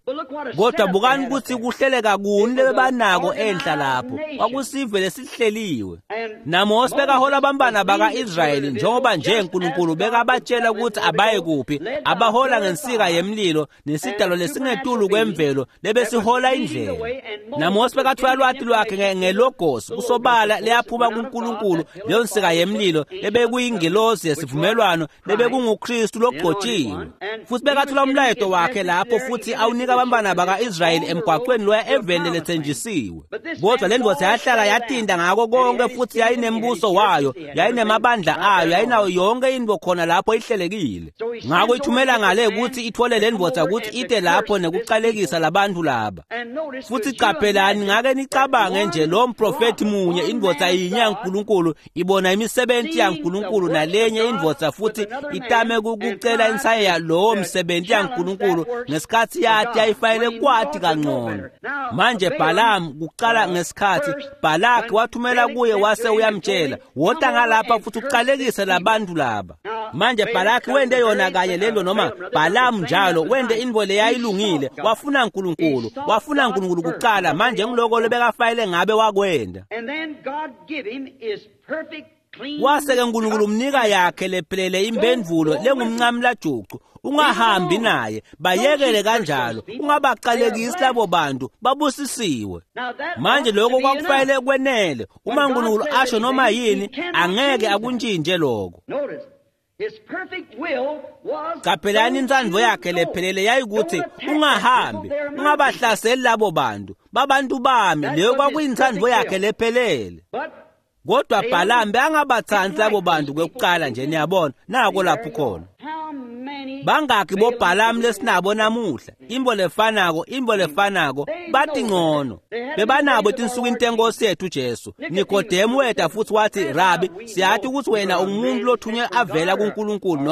Kodwa bukani ukuthi kuhleleka kuni lebebanako enhla lapho. Kwakusive lesihleliwe. NaMose bekahola abantwana baka-Israyeli njengoba nje uNkulunkulu bekabatshela ukuthi abaye kuphi, abahola ngensika yemlilo nesidalo lesingetulu kwemvelo lebesihola indlela. NaMose bekathwala lwati lwakhe ngelogos kusoba lesobala leyaphuma kuNkulunkulu, leyo nsika yemlilo lebekuyingelosi yesivumelwano lebekunguKristu logcotshiwe. Futhi bekathula umlayeto wakhe lapho futhi awunika abantwana baka-Israyeli emgwaqweni loya eveni lethenjisiwe. Kodwa le ndvodza yahlala yatinda ngako konke futhi yayinembuso wayo, yayinemabandla ayo, yayinayo yonke into khona lapho ihlelekile. Ngako ithumela ngale ukuthi ithole le ndvodza ukuthi ite lapho nekuqalekisa labantu laba. Futhi qaphelani, ngake nicabange nje lo mprofethi munye, indvodza yinye yaNkulunkulu ibona imisebenzi yaNkulunkulu nalenye indvodza futhi itame ukucela insayeya lowo msebenzi yaNkulunkulu ngesikhathi yathi yayifanele kwati kangcono. Manje Balaam kuqala ngesikhathi Balaki wathumela kuye wase uyamtshela, wota ngalapha futhi uqalekise labantu laba. Manje Balaki wende yona kanye lento, noma Balaam njalo wende into leyayilungile, wafuna uNkulunkulu, wafuna uNkulunkulu kuqala. Manje ngiloko lebekafayele ngabe wakwenda. Wase-ke uNkulunkulu umnika yakhe lephelele impendulo lengumncamlajucu. Ungahambi naye, bayekele kanjalo, ungabaqalekisi labo bantu, babusisiwe. Manje lokho kwakufanele kwenele. Uma uNkulunkulu asho noma yini, angeke akuntshintshe lokho. Qaphelani, intsandvo yakhe lephelele yayikuthi ungahambi, ungabahlaseli labo bantu, babantu bami. Leyo kwakuyintsandvo yakhe lephelele. Kodwa Balaam bekangabatsandzi labo bantu kwekuqala nje, niyabona, nako lapho khona. Bangaki boBalaam lesinabo namuhla? Imbo lefanako, imbo lefanako, bathi ngcono. Bebanabo etinsukwini tenkosi yethu Jesu. Nikodemu weta futhi wathi, Rabi, siyathi ukuthi wena ungumuntu lothunywe avela kuNkulunkulu,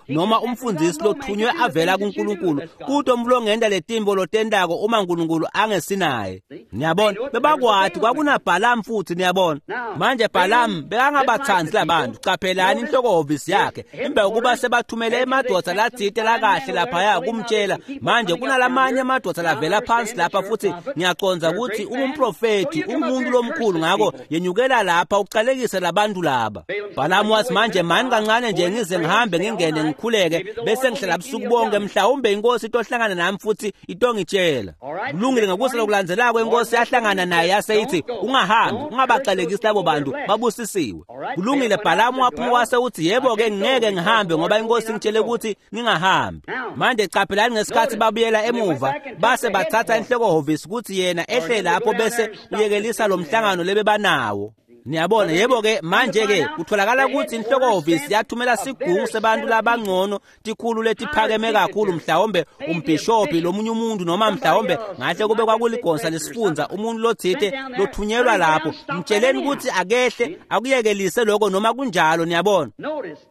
noma umfundisi lothunywe avela kuNkulunkulu. Kuto umlongenda letimbo lotendako uma uNkulunkulu angesinaye. Niyabona, bebakwati kwakunaBalaam futhi, niyabona. Manje Balaam bekangabatsandzi labantu. Qaphelani inhloko-hhovisi yakhe emva kokuba sebathumele emadoda latsite lakahle laphaya kumtshela. Manje kunalamanye amadoda lavela phansi lapha futhi ngiyacondza ukuthi ungumprofethi, ungumuntu lomkhulu, ngako yenyukela lapha uqalekise labantu laba. Balaam wathi, manje mani kancane nje ngize ngihambe ngingene ngikhuleke bese ngihlala busuku bonke, mhlawumbe inkosi itohlangana nami futhi itongitshela. Kulungile, ngokusa lokulandzelako inkosi yahlangana naye yase ithi, ungahambi, ungabaqalekisi labo bantu, babusisiwe. Kulungile, Balaam waphuma wase uthi, yebo-ke ngeke ngihambe ngoba inkosi ngitshele ukuthi ngingahambi. Manje qaphelani ngesikhathi babuyela emuva base bathatha inhloko-hhovisi ukuthi yena ehle lapho bese uyekelisa lo mhlangano lebebanawo. Niyabona, yebo-ke manje-ke kutholakala ukuthi inhloko-hhovisi yathumela sigungu sebantu labangcono, tikhulu letiphakeme kakhulu, mhlawumbe umbhishobhi lomunye umuntu, noma mhlawumbe ngahle kube kwakuligonsa lesifundza, umuntu lothite lothunyelwa lapho, mtsheleni ukuthi akehle akuyekelise lokho noma kunjalo. Niyabona,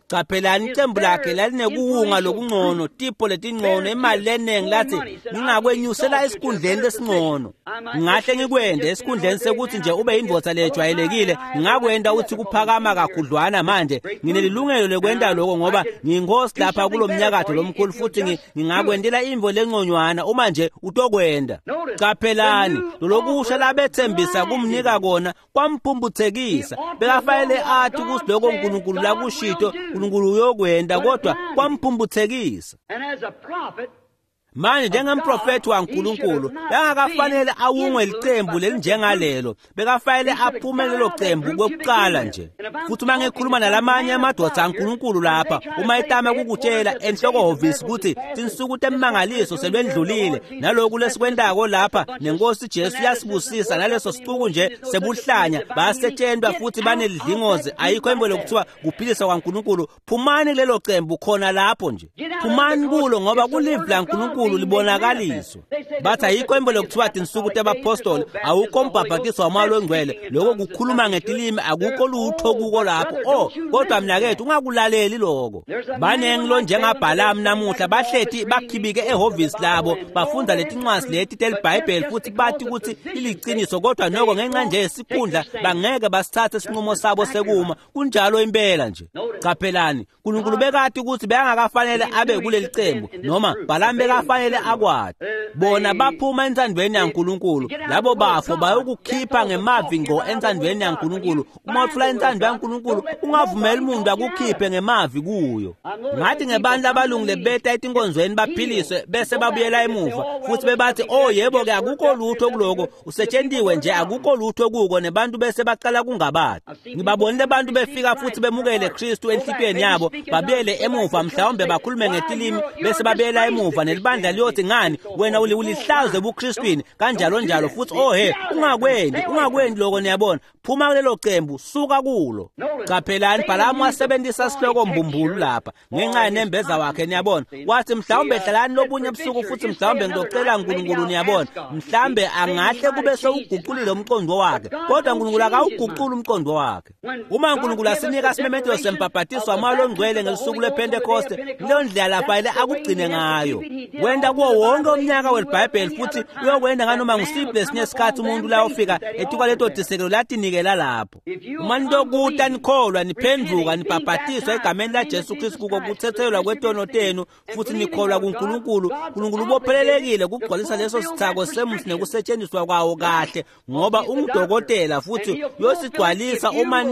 qaphelani icembu lakhe lalinekuwunga lokungcono, tipho letingcono, imali leningi, lathi ngingakwenyusela esikhundleni lesingcono, ngingahle ngikwende esikhundleni sekuthi nje ube yindvodza lejwayelekile, ngingakwenda uthi kuphakama kakhudlwana. Manje nginelilungelo lekwenta lokho ngoba ngiyinkosi lapha kulo mnyakatho lomkhulu, futhi ngingakwendela imvo lengconywana uma nje utokwenda. Qaphelani lolokusha labethembisa kumnika kona kwamphumputhekisa. Bekafanele athi ukuthi lokho uNkulunkulu lakushito uNkulunkulu uyokwenda, kodwa kwamphumputhekisa. Manje njengemprofethi waNkulunkulu bekangakafanele awungwe licembu lelinjengalelo, bekafanele aphume lelo cembu kwekuqala nje. Futhi uma ngikhuluma nalamanye amadoda aNkulunkulu lapha, uma itama kukutshela enhloko-hhovisi ukuthi tinsuku temangaliso selwendlulile, naloku lesikwentako lapha nenkosi Jesu yasibusisa, naleso sicuku nje sebuhlanya, bayasetshentwa futhi banelidlingozi, ayikho imbo lokuthiwa kuphilisa kwaNkulunkulu. Phumani kulelo cembu khona lapho nje, phumani kulo, ngoba kulivi laNkulunkulu libonakaliswa. Bathi ayikho imbo lokuthiwa tinsuku tebapostoli, awukho umbhabhatiso wamoya longcwele, lokho kukhuluma ngetilimi, akukho lutho kuko lapho. Oh, kodwa mnakethu ungakulaleli lokho. Baningi lo njengaBhalamu namuhla bahlethi bakhibike ehhovisi labo, bafunda letincwadi leti teliBhayibheli futhi bathi ukuthi iliciniso, kodwa noko ngenxa nje yesikhundla bangeke basithathe isinqumo sabo sekuma. Kunjalo impela nje. Qaphelani, uNkulunkulu bekati ukuthi bekangakafanele abe kuleli cembu, noma Balaam lafanele akwati. Bona baphuma entsandvweni yaNkulunkulu, labo bafo bayokukhipha ngemavi ngqo entsandvweni yaNkulunkulu. Uma utfula intsandvo yaNkulunkulu, ungavumeli umuntu akukhiphe ngemavi kuyo. Ngathi ngebantu abalungile beta etinkonzweni baphiliswe bese babuyela emuva futhi bebathi, oh yebo ke, akukho lutho kuloko, usetshentiwe nje, akukho lutho kuko, nebantu bese baqala kungabati. Ngibabonile abantu befika futhi bemukele Kristu enhlitiyweni yabo, babuyele emuva, mhlawumbe bakhulume ngetilimi bese babuyela emuva, nelibandla liyothi, ngani wena ulihlazo ebuKristwini, kanjalo njalo. Futhi oh he, ungakwendi lokho, niyabona. Phuma kulelo cembu, suka kulo. Qaphelani, Bhalamu wasebenzisa sihloko mbumbulu lapha ngenxa yenembeza wakhe, niyabona. Wathi mhlawumbe hlalani lobunye ebusuku futhi mhlawumbe ngizocela uNkulunkulu, niyabona. Mhlawumbe angahle kube sewuguqulile umqondo wakhe, kodwa uNkulunkulu akawuguquli umqondo wakhe. Uma uNkulunkulu asinika isimemetelo sembhabhatiso wamoya ongcwele ngelusuku lwePhentekoste, leyo ndlela lafanele akugcine ngayo. Wenta kuwo wonke umnyaka weBhayibheli futhi uyokwenda nganoma ngusiphi lesinye isikhathi umuntu la ufika etukwa leto tisekelo latinikela lapho. Uma nitokuta nikholwa, niphenduka, nibhabhatiswa egameni laJesu Kristu kuko kuthethelelwa kwetono tenu futhi nikholwa kuNkulunkulu, uNkulunkulu ubophelelekile kugcwalisa leso sithako semusi nekusetshenziswa kwawo kahle, ngoba ungudokotela futhi uyosigcwalisa uma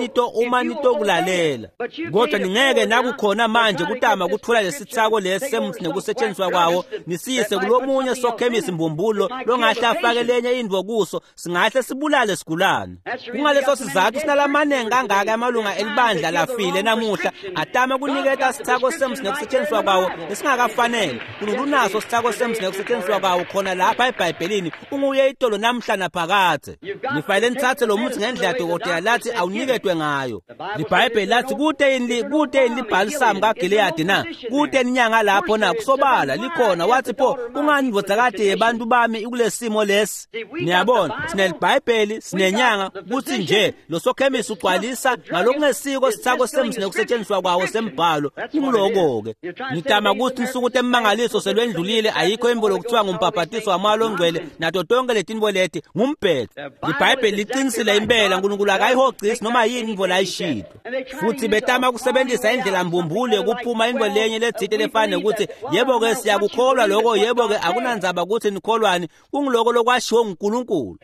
nitokulalela. Kodwa ningeke nakukhona manje kutama kuthola lesithako lesi semusi nekusetshenziswa kwawo nisiyise kulomunye sokhemisi mbumbulo longahle afake lenye intfo kuso, singahle sibulale sigulane. Kungaleso sizathu sinalamanengi kangaka amalunga elibandla lafile namuhla atama kuniketa sithako semusi nekusetshenziswa kwawo lesingakafanele. Unkulunkulu unaso sithako semusi nekusetshenziswa kwawo khona lapha eBhayibhelini, unguye itolo namhla naphakadze. Nifanele nithathe lo muthi ngendlela dokotela lathi awuniketwe ngayo. LiBhayibheli lathi kute yini libhalisamu kaGileyadi na? Kute inyanga lapho na? Kusobala likhona. Wathi pho kungani indvodzakati yebantu bami ikulesimo lesi? Niyabona, sinelibhayibheli, sinenyanga, kuthi nje lo sokhemisi ugcwalisa ngalokungesiko sithako semusi nekusetshenziswa kwawo sembhalo. Kunguloko-ke ngitama ukuthi insuku temmangaliso selwendlulile, ayikho imbo lokuthiwa ngumbhabhatiso wamoya longcwele nato tonke letinto leti ngumbhedo. LiBhayibheli liqinisile impela, uNkulunkulu akayihogcisi noma yini intfo layishilo. Futhi betama kusebenzisa indlela mbumbulu yokuphuma intfo lenye letsite lefana nekuthi yebo-ke siyakukholwa lokho, yebo-ke akunandzaba ukuthi nikholwani, kunguloko lokwashiwo nguNkulunkulu.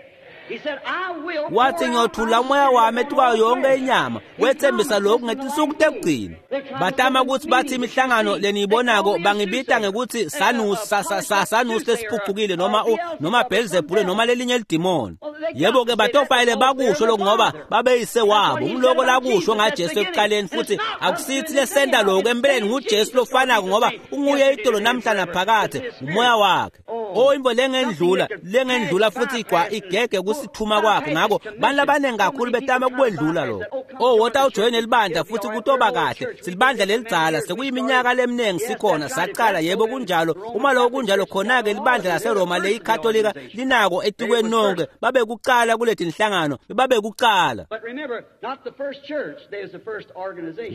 Wathi ngiyothula umoya wami etukwayo yonke inyama, wethembisa lokhu ngetinsuku tekugcina. Batama ukuthi bathi imihlangano leniyibonako bangibita ngekuthi sanusi lesiphucukile noma Belzebule noma lelinye lidimoni. Yebo-ke batofayele bakusho lokhu ngoba babeyise wabo. Nguloko lakusho ngaJesu ekuqaleni, futhi akusithi lesenta lokhu empeleni nguJesu lofanako ngoba unguye itolo namhla naphakadze, umoya wakhe. Oh, imvo lengendlula futhi igege kusithuma kwakhe. Ngakho bantu labaningi kakhulu betama kukwendlula lokho. Oh, wota ujoyine libandla futhi kutoba kahle. Silibandla lelidzala, sekuyiminyaka leminingi sikhona, saqala, yebo kunjalo. Uma lokho kunjalo, khona-ke libandla laseRoma leyikatolika linako etikweni nonke, babe kuqala kuleti inhlangano, babe kuqala.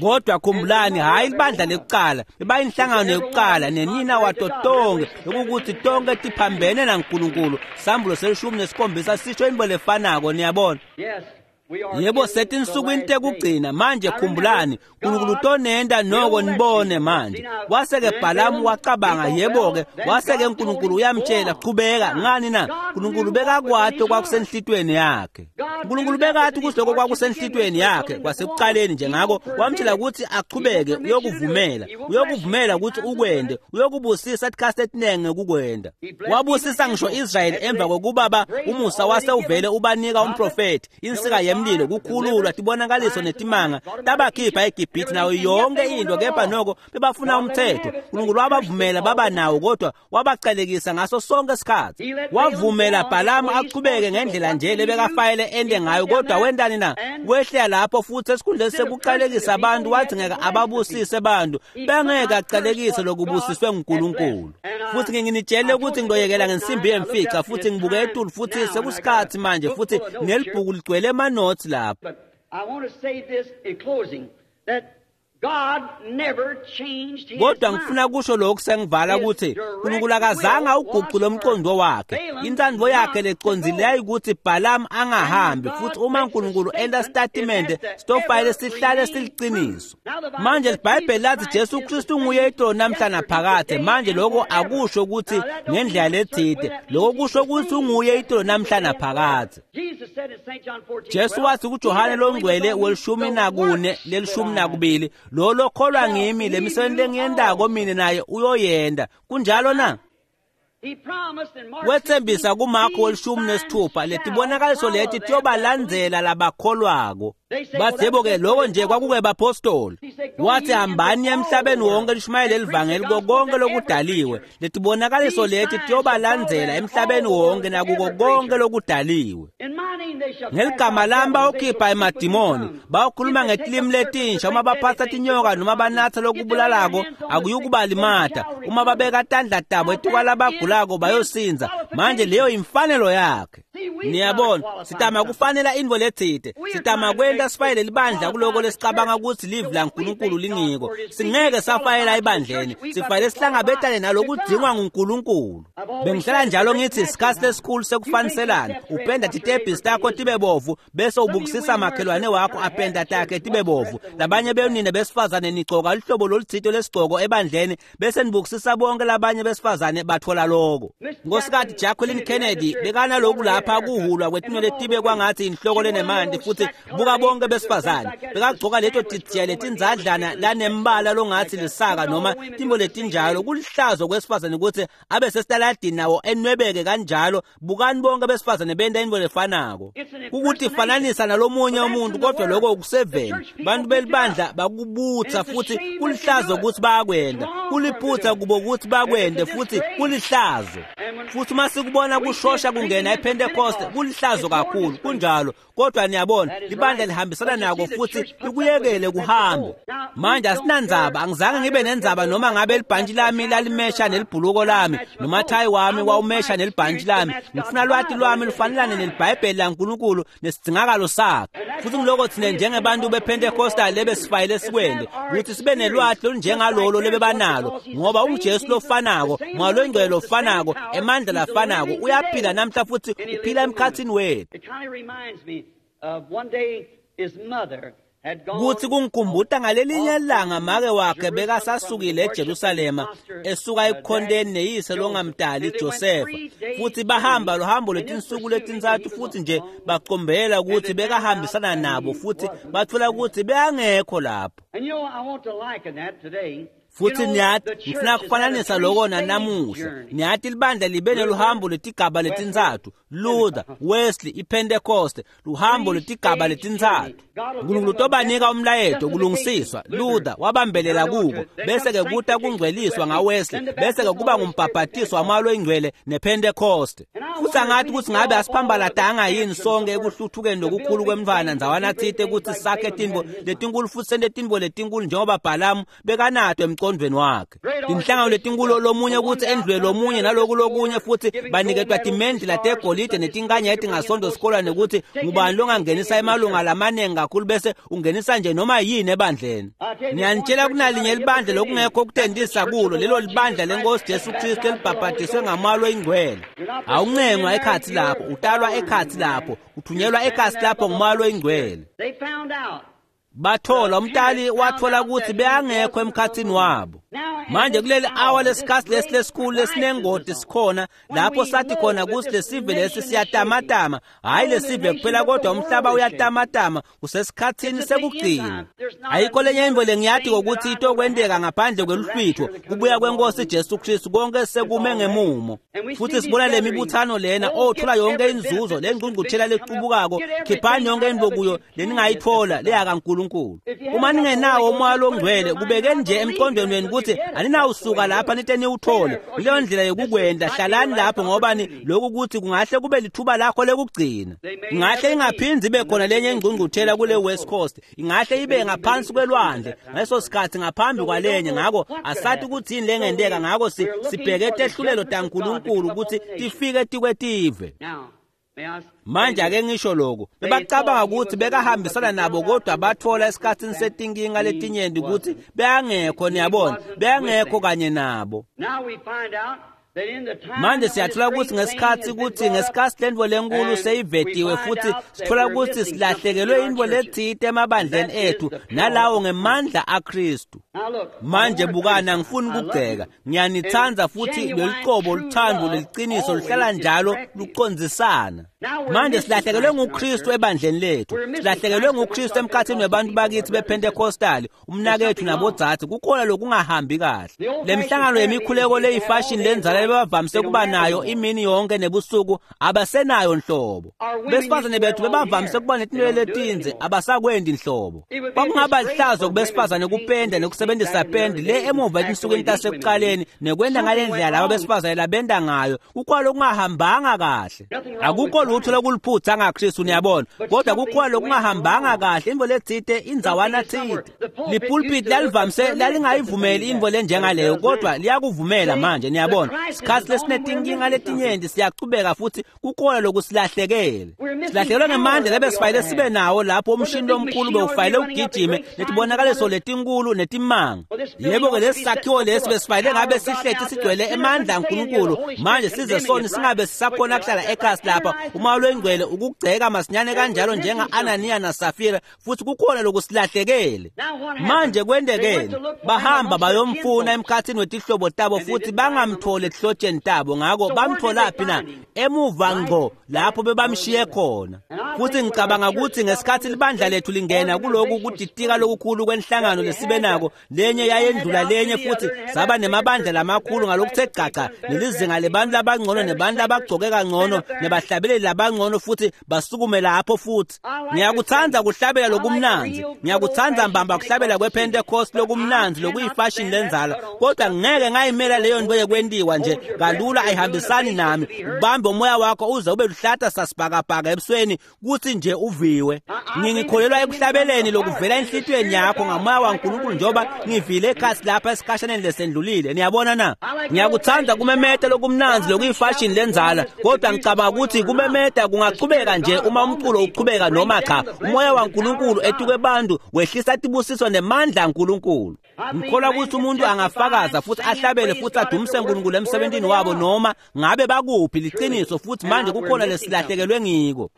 Kodwa khumbulani, hhayi libandla lekuqala, bebayinhlangano yokuqala nenina wato tonke, lokukuthi tonke tiphambene naNkulunkulu. Sambulo 17 sisho into lefanako, niyabona. Yebo, setinsukwini tekugcina manje. Khumbulani, uNkulunkulu utonenta noko nibone manje. Wase-ke Bhalamu wacabanga, yebo-ke, wase-ke uNkulunkulu uyamtshela, qhubeka. Ngani na? uNkulunkulu bekakwati okwakusenhlitweni yakhe. uNkulunkulu bekathi ukuthi lokho kwakusenhlitweni yakhe kwasekuqaleni nje, ngakho wamtshela ukuthi aqhubeke, uyokuvumela ukuthi ukwende, uyokubusisa isikhathi esiningi ngekukwenda. Wabusisa ngisho Israyeli emva kokuba umusa wase uvele ubanika umprofethi, insika yemlilo, kukhululwa, tibonakaliso netimanga, tabakhipha eGibhithe nayo yonke into, kepha noko bebafuna umthetho. uNkulunkulu wabavumela baba nawo, kodwa wabacalekisa ngaso sonke isikhathi. Wavumela Bhalamu aqhubeke ngendlela nje lebekafayele ende ngayo, kodwa wentani na? Wehlela lapho futhi esikhundleni sekucalekisa abantu wathi ngeke ababusise abantu, bengeke acalekise lokubusiswe nguNkulunkulu. Futhi nginitshele ukuthi ngizoyekela ngensimbi yemfica, futhi ngibuke etulu futhi sekusikhathi manje, futhi nelibhuku ligcwele amanothi lapha. I want to say this in closing, that Kodwa ngifuna kusho lokhu sengivala ukuthi uNkulunkulu akazange awuguqule umqondo wakhe. Intsandvo yakhe lecondzileyo ukuthi Balaam angahambi, futhi uma uNkulunkulu enta statement sitofayele sihlale siliqiniso. Manje iBhayibheli lathi Jesu Kristu nguye itolo namhla naphakade. Manje lokho akusho ukuthi ngendlela lethide, lokho kusho ukuthi unguye itolo namhla naphakade. Jesu wathi kuJohane longcwele welishumi nakune lelishumi nakubili, lo lokholwa ngimi lemisebenzi lengiyendako mina naye uyoyenda. Kunjalo na? Wethembisa kuMarko welishumi nesithupha letibonakaliso leti tiyobalandzela labakholwako. Bathi yebo-ke lokho nje kwakuke bapostoli. Wathi hambani emhlabeni wonke lishumayele livangeli kuko konke lokudaliwe. Letibonakaliso leti tiyobalandzela emhlabeni wonke nakuko konke lokudaliwe. Ngeligama lami bawukhipha emadimoni, bawukhuluma ngetilimi letinsha, uma baphatha tinyoka noma banatha lokubulalako akuyukubalimata, uma babeka tandla tabo etikwalabagulako bayosinza. Manje leyo imfanelo yakhe. Niyabona, sitama kufanela intfo letsite, sitama kwenta sifayele libandla kuloko lesicabanga ukuthi livi laNkulunkulu lingiko. Singeke safayela ebandleni, sifayele sihlangabetane nalokudzingwa nguNkulunkulu. Bengihlala njalo ngithi isikhathi lesikhulu sekufaniselana. Upenda titebhisi takho tibe bovu bese ubukisisa makhelwane wakho apenda takhe tibe bovu. Labanye benina besifazane nigcoka luhlobo lolutsite lesigcoko ebandleni bese nibukisisa bonke labanye besifazane bathola loko. Nkosikazi Jacqueline Kennedy bekanaloku lapha kuhulwa kwetinwele tibe kwangathi inhloko lenemanti, futhi buka bonke besifazane bekagcoka leto tidziya letindzadlana lanembala longathi lisaka noma timbo letinjalo. Kulihlazo kwesifazane ukuthi abe sesitaladini nawo enwebeke kanjalo. Bukani bonke besifazane benta intfo lefanako, kukuthi fananisa nalomunye umuntu, kodwa lokho ukuseveni. Bantu belibandla bakubutsa, futhi kulihlazo ukuthi bayakwenda, kuliphutha kubo ukuthi bakwende, futhi kulihlazo. Futhi uma sikubona kushosha kungena ePentecost, kulihlazo kakhulu. Kunjalo, kodwa niyabona libandla lihambisana nako futhi likuyekele kuhambe. Manje asinandzaba, angizange ngibe nendzaba noma ngabe libhantshi lami lalimesha nelibhuluko lami noma thayi wami wawumesha nelibhantshi lami. Ngifuna lwati lwami lufanelane nelibhayibheli laNkulunkulu nesidzingakalo sakhe. Futhi ngiloko thina njengebantu bePentecostal lebesifayele sikwende ukuthi sibe nelwati olunjengalolo lebebanalo, ngoba unguJesu lofanako, Moya loyingcwele lofanako, emandla lafanako, uyaphila namhla futhi uphila emkhathini wethu. Kuthi kungikhumbuta ngalelinye ilanga make wakhe bekasasukile eJerusalema esuka ekukhonteni neyise longamdali Josefa, futhi bahamba luhambo lwetinsuku letintsatfu, futhi nje bacombela ukuthi bekahambisana nabo, futhi bathola ukuthi bekangekho lapho. Futhi niyati, ngifuna kufananisa loko nanamuhla. Niyati libandla libe neluhambo lwetigaba letintsatfu: Luther, Wesley, iPentecost, luhambo lwetigaba letintsatfu. Nkulunkulu utobanika umlayeto kulungisiswa. Luther wabambelela kuko, bese-ke kuta kungcweliswa ngaWesley, bese-ke kuba ngumbhabhatiso wamoya loyingcwele nePentecost. Futhi angathi ukuthi ngabe asiphambalatanga yini sonke ekuhluthukeni lokukhulu kwemntfwana ndzawana tsite ukuthi sakhe tintfo letinkulu futhi sente tintfo letinkulu njengoba Bhalamu bekanato emcondvweni wakhe. Tinhlangano letinkulu, lomunye ukuthi endlule lomunye naloku lokunye, futhi baniketwa timendlela tegolide netinkanya etingasondo sikolwa nekuthi ngubani longangenisa emalunga lamaningi kakhulu bese ungenisa nje noma yini ebandleni. Ngiyanitshela, kunalinye libandla lokungekho ukutendisa kulo, lelo libandla lenkosi Jesu Kristu elibhabhadiswe ngamoya loyingcwele. Awuncengwa ekhatsi lapho, utalwa ekhatsi lapho, uthunyelwa ekhatsi lapho ngumoya loyingcwele. Bathola umtali wathola ukuthi beyangekho emkhathini wabo. Manje kuleli awa lesikhathi lesi lesikhulu lesinengoti sikhona lapho sathi khona ukuthi lesive lesi siyatamatama, hhayi lesive kuphela kodwa umhlaba uyatamatama, kusesikhathini sekugcina. Ayikho lenye intfo lengiyati kokuthi itokwenteka ngaphandle kweluhlwitho kubuya kwenkosi Jesu Kristu, konke sekume ngemumo. Futhi sibona le mibuthano lena othola yonke inzuzo lengqungquthela lecubukako, khiphani yonke intfo kuyo leningayithola leyakaNkulunkulu. Uma ningenawo umoya longcwele, kubekeni nje emqondweni wenu ukuthi aninawusuka lapha nite niwuthole. Leyo ndlela yokukwenda, hlalani lapho, ngoba ni lokhu kuthi kungahle kube lithuba lakho lekugcina. Ingahle ingaphindzi ibe khona lenye ingqungquthela kule West Coast, ingahle ibe ngaphansi kwelwandle ngaleso sikhathi ngaphambi kwalenye. Ngako asathi ukuthi yini lengenteka, ngako sibheke tehlulelo taNkulunkulu ukuthi tifike tikwetive. Manje ake ngisho lokhu, bebacabanga ukuthi bekahambisana nabo, kodwa bathola esikhatsini setinkinga letinyenti ukuthi bekangekho, niyabona, bekangekho kanye nabo. Manje siyathola ukuthi ngesikhathi lentfo lenkulu seyivetiwe, futhi sithola ukuthi silahlekelwe intfo letsite emabandleni ethu, nalawo ngemandla aKristu. Manje bukani, angifuni ukugceka, ngiyanithanda, futhi loluqobo luthando leliciniso luhlala njalo lucondzisana. Manje silahlekelwe nguKristu ebandleni lethu, silahlekelwe nguKristu emkhathini webantu bakithi bePentecostal, umnakethu nabodzadze, kukhona lokungahambi kahle. Le mihlangano yemikhuleko leyifashion lenzala bebavamise kuba nayo imini yonke nebusuku abasenayo nhlobo. Besifazane bethu bebavamise kuba netinwele letindze, abasakwendi nhlobo. Kwakungaba lihlazo kubesifazane kupenda nekusebenzisa pendi le emuva etinsukwini tasekuqaleni nekwenda ngale ndlela laba besifazane labenda ngayo, kukhona lokungahambanga kahle. Akukho lutho lokuliphutha ngaKristu, niyabona, kodwa kukhona lokungahambanga kahle, intfo letsite indzawana tsite. Lipulpit lalivamise lalingayivumeli intfo lenjengaleyo, kodwa liyakuvumela manje, niyabona. Sikhathi lesinetinkinga letinyenti siyachubeka, futhi kukhona lokusilahlekele. Silahlekelwe ngemandla lebesifanele sibe nawo lapho umshini lomkhulu bewufanele ugijime netibonakaliso letinkulu netimanga. Yebo-ke, lesi sakhiwo lesi besifanele ngabe sihleti sigcwele emandla aNkulunkulu. Manje size soni singabe sisakhona kuhlala ekhasi lapha, umoya lwengcwele ukugceka masinyane kanjalo njenga-Ananiya naSafira, futhi kukhona lokusilahlekele. Manje kwentekeni? Bahamba bayomfuna emkhathini wetihlobo tabo, futhi bangamtholi etihlotsheni tabo. Ngako bamtholaphi na? Emuva ngqo lapho bebamshiye khona. Futhi ngicabanga ukuthi ngesikhathi libandla lethu lingena kuloku kuditika lokukhulu kwenhlangano lesibe nako, lenye yayendlula lenye, futhi saba nemabandla lamakhulu ngalokuthe gcaca, nelizinga lebantu labangcono nebantu abagcoke kangcono nebahlabeleli labangcono, futhi basukume lapho. Futhi ngiyakuthanda kuhlabela lokumnanzi, ngiyakuthanda mbamba kuhlabela kwePentecost lokumnanzi lokuyifashion lenzala, kodwa ngeke ngayimela leyo nto yekwentiwa nje kalula, ayihambisani nami. Ubambe umoya wakho uze ube luhlata sasibhakabhaka ebusweni kuthi nje uviwe. Ngingikholelwa ekuhlabeleni lokuvela enhlitiyweni yakho ngamoya waNkulunkulu, njengoba ngivile ekhasi lapha esikhashaneni lesendlulile, niyabona na. Ngiyakuthanda kumemeta lokumnanzi lokuyifashion lenzala, kodwa ngicabanga ukuthi kumemeta kungachubeka nje uma umculo uchubeka noma cha. Umoya waNkulunkulu etukwe bantu wehlisa tibusiso nemandla aNkulunkulu. Ngikholwa ukuthi umuntu angafakaza futhi ahlabele futhi adumise uNkulunkulu emsebenzini wabo noma ngabe bakuphi, liqiniso. Futhi manje kukhona lesilahlekelwe ngiko.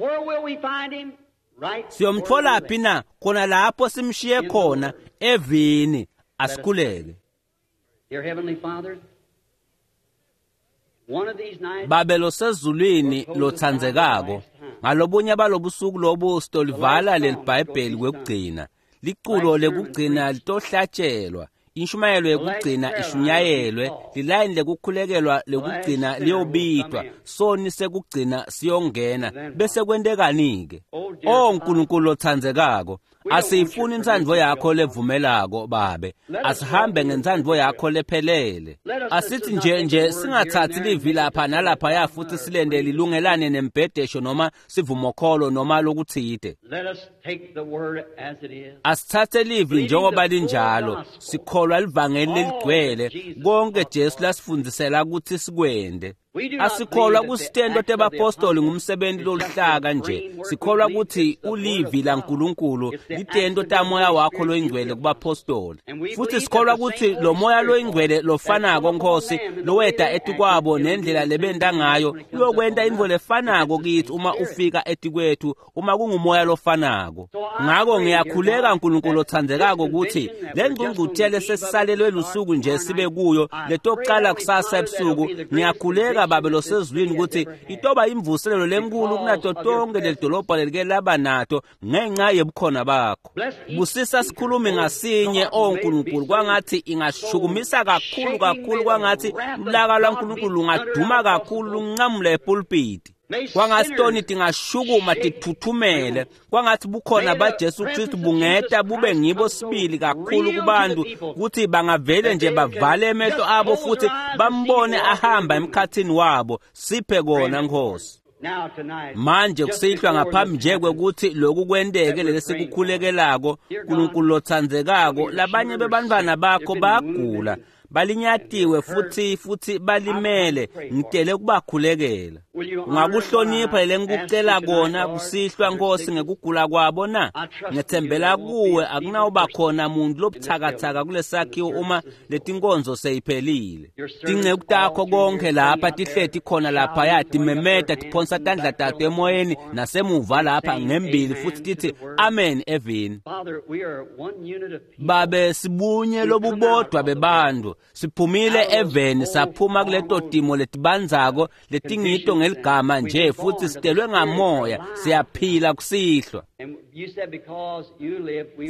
Siyomtholaphi na? Khona lapho simshiye khona, evini. Asikhuleke. Babe losezulwini lothandzekako, ngalobunye balobusuku lobu sitolivala leliBhayibheli kwekugcina. Liculo lekugcina litohlatshelwa, inshumayelo yekugcina ishunyayelwe, lilayini lekukhulekelwa lekugcina liyobitwa, soni sekugcina siyongena. Bese kwentekani-ke? O Nkulunkulu lothandzekako, asiyifuni intsandvo yakho levumelako Babe, asihambe ngentsandvo yakho lephelele. Asithi nje singathathi livi lapha nalaphaya futhi silende lilungelane nembhedesho noma sivumokholo noma lokutsite. Asithathe livi njengoba linjalo, sikholwa livangeli leligcwele konke Jesu lasifundzisela ukuthi sikwende. Asikholwa kusitento tebapostoli ngumsebenzi loluhlaka nje, sikholwa ukuthi ulivi laNkulunkulu litento tamoya wakho loyingcwele kubapostoli. Futhi sikholwa ukuthi lo moya loyingcwele lofanako Nkosi loweda etikwabo nendlela lebenta ngayo uyokwenta intfo lefanako kithi uma ufika etikwethu, uma kungumoya lofanako. Ngako ngiyakhuleka Nkulunkulu othandzekako ukuthi le ngqungquthela sesisalelwe lusuku nje sibe kuyo letokuqala kusasa ebusuku, ngiyakhuleka Babe losezulwini ukuthi itoba imvuselelo lenkulu kunato tonke lelidolobha lelike laba nato ngenxa yebukhona bakho. Busisa sikhulumi ngasinye, o Nkulunkulu, kwangathi ingashukumisa kakhulu kakhulu, kwangathi ulaka lwaNkulunkulu lungaduma kakhulu lunqamule epulpiti. Kwangathi toni tingashukuma tithuthumele, kwangathi bukhona baJesu Kristu bungeta bube ngibo sibili kakhulu kubantu ukuthi bangavele nje bavale emehlo abo futhi bambone ahamba emkhathini wabo. Siphe kona Nkosi. Manje kusihlwa ngaphambi nje kwekuthi lokhu kwenteke lesikukhulekelako, Nkulunkulu lothandzekako, labanye bebantfwana bakho bagula, Balinyatiwe futhi balimele. Ngitele kubakhulekela. Ungakuhlonipha lengikucela kona kusihlwa Nkosi ngekugula kwabo na? Ngethembela kuwe akunawuba khona muntu lobuthakathaka kulesakhiwo uma letinkonzo seyiphelile. Tinceku takho konke lapha tihleti khona lapha timemeta tiphonsa tandla tato emoyeni nasemuva lapha ngembili futhi tithi amen evini. Babe sibunye lobubodwa bebantu siphumile eveni saphuma kuleto timo letibandzako letingito ngeligama nje futhi sitelwe ngamoya siyaphila kusihlwa.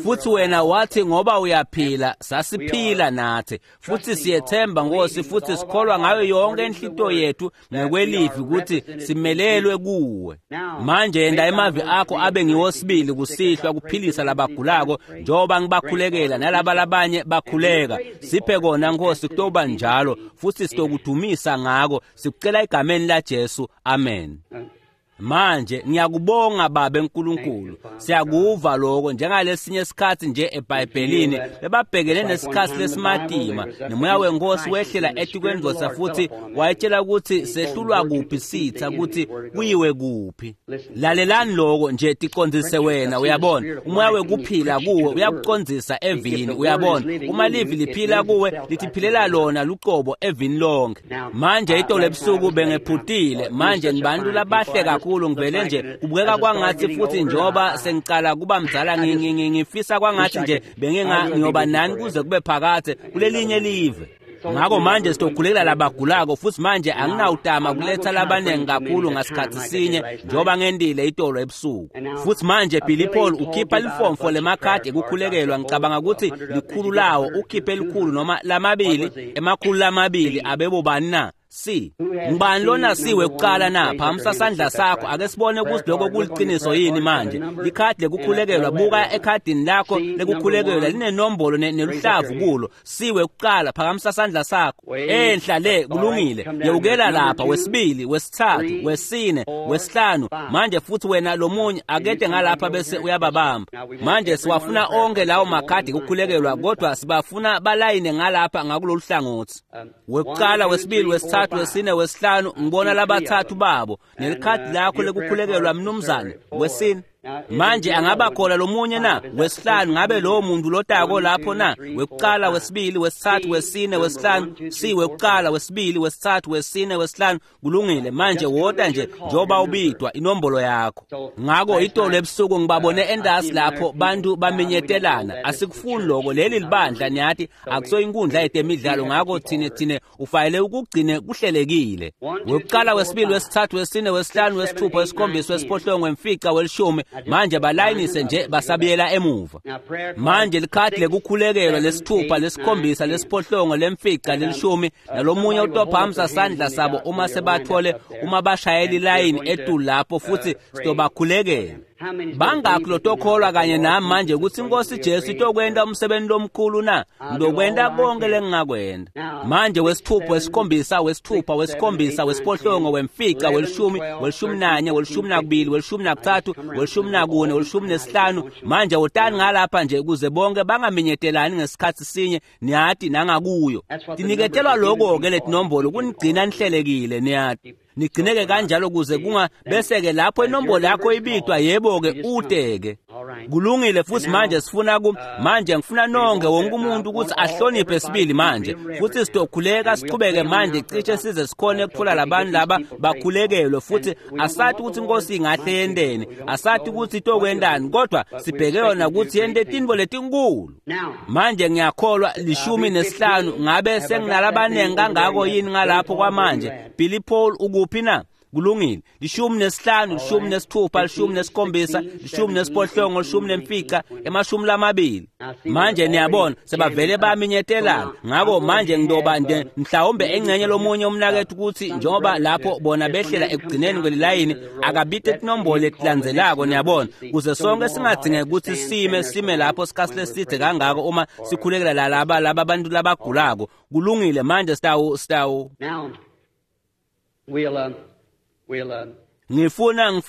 Futhi wena wathi ngoba uyaphila sasiphila nathi futhi siyethemba Nkosi futhi sikholwa ngayo yonke inhlito yethu ngekwelivi ukuthi simelelwe kuwe. Manje yenda emavi akho abe ngiwosibili kusihlwa kuphilisa labagulako njengoba ngibakhulekela nalaba labanye bakhuleka. Siphe kona Nkosi kutoba njalo futhi sitokudumisa ngako sikucela egameni la Jesu, amen. Manje ngiyakubonga Babe uNkulunkulu. Siyakuva lokho njengalesinye isikhathi nje eBhayibhelini bebabhekene nesikhathi lesimatima nomoya wenkosi wehlela etikwendvodza futhi wayetshela ukuthi sehlulwa kuphi sitha ukuthi kuyiwe kuphi. Lalelani lokho nje ticondzise wena uyabona umoya wekuphila kuwe uyakucondzisa evini uyabona uma livi liphila kuwe litiphilela lona luqobo evini lonke. Manje itolo ebusuku bengephutile manje nibantu labahle kakhulu ngivele nje kubukeka kwangathi futhi njoba sengicala kuba mdzala ngifisa kwangathi nje benginga ngiyoba nani kuze kube phakathe kulelinye live. Ngakho manje sitokhulekela labagulako futhi manje anginawutama kuletha labanengi kakhulu ngasikhathi sinye njengoba ngendile itolo ebusuku. Futhi manje Billy Paul ukhipha lifomfo lemakhadi ekukhulekelwa ngicabanga ukuthi likhulu lawo ukhiphe elikhulu noma lamabili emakhulu lamabili abebobani na? Si ngibani lona siwe kuqala na? Phamisa sandla sakho ake sibone ukuthi lokho kuliqiniso yini manje. Likhadi lekukhulekelwa buka ekhadini lakho lekukhulekelwa linenombolo neluhlavu kulo. Siwe kuqala phakamisa sandla sakho enhla le kulungile. Yewukela lapha wesibili wesithathu wesine wesihlanu. Manje futhi wena lomunye akede ngalapha bese uyababamba. Manje siwafuna onke lawo makhadi ekukhulekelwa kodwa sibafuna balayine ngalapha ngakulolu hlangothi. Wekuqala wesibili wesithathu wesine wesihlanu ngibona labathathu babo nelikhadi lakho lekukhulekelwa mnumzane wesine. Manje angaba khona lomunye na? Wesihlanu ngabe lowo muntu lotako lapho na? Wekuqala wesibili wesithathu wesine wesihlanu si wekuqala wesibili wesithathu wesine wesihlanu kulungile. Manje wota nje njoba ubidwa inombolo yakho. Ngakho itolo ebusuku ngibabone endasi lapho bantu baminyetelana. Asikufuni lokho leli libandla niyathi akusoyinkundla yetemidlalo ngakho thine ufanele ukugcine kuhlelekile. Wekuqala wesibili wesithathu wesine wesihlanu wesithupha wesikhombisa wesiphohlongo wemfica welishumi. Manje balayinise nje basabiyela emuva. Manje likhadi lekukhulekelwa lesithupha lesikhombisa lesiphohlongo lemfica lelishumi nalomunye utophamisa sandla sabo uma sebathole uma bashayela ilayini etulu lapho futhi sitobakhulekela. Bangakho lotokholwa kanye nami manje ukuthi inkosi Jesu itokwenta umsebenzi lomkhulu na? Ngizokwenta konke lengingakwenta. Manje wesithupha wesikhombisa wesithupha wesikhombisa wesiphohlongo wemfica welishumi welishumi nanye welishumi nakubili welishumi nakuthathu welishumi nakune welishumi nesihlanu. Manje wotani ngalapha nje ukuze bonke bangaminyetelani ngesikhathi sinye niyati nangakuyo. Tiniketelwa lokho-ke letinombolo kunigcina nihlelekile niyati. Nigcineke kanjalo kuze kunga bese ke lapho inombolo yakho ibidwa yebo ke uteke. Kulungile futhi manje sifuna ku manje ngifuna nonke wonke umuntu ukuthi ahloniphe sibili manje futhi sitokhuleka siqhubeke manje cishe size sikhone ukuthola labantu laba bakhulekelwe futhi asathi ukuthi inkosi ingahle yenteni asathi ukuthi itokwentani kodwa sibheke yona ukuthi yente tintfo letinkulu. Manje ngiyakholwa 15 ngabe senginalabanengi kangako yini ngalapho kwamanje? Billy Paul ukuphi na? Kulungile. 15 16 17 18 15 20. Manje niyabona sebavele baminyetelana. Ngakho manje ngidoba nje mhlawumbe engcenye lomunye umnakethu ukuthi njengoba lapho bona behlela ekugcineni kwelilayini akabite tinombolo letilandzelako niyabona kuze sonke singadingeki ukuthi sime lapho sikhathi leside kangako uma sikhulekela laba abantu labagulako. Kulungile manje sitawu. Ngifuna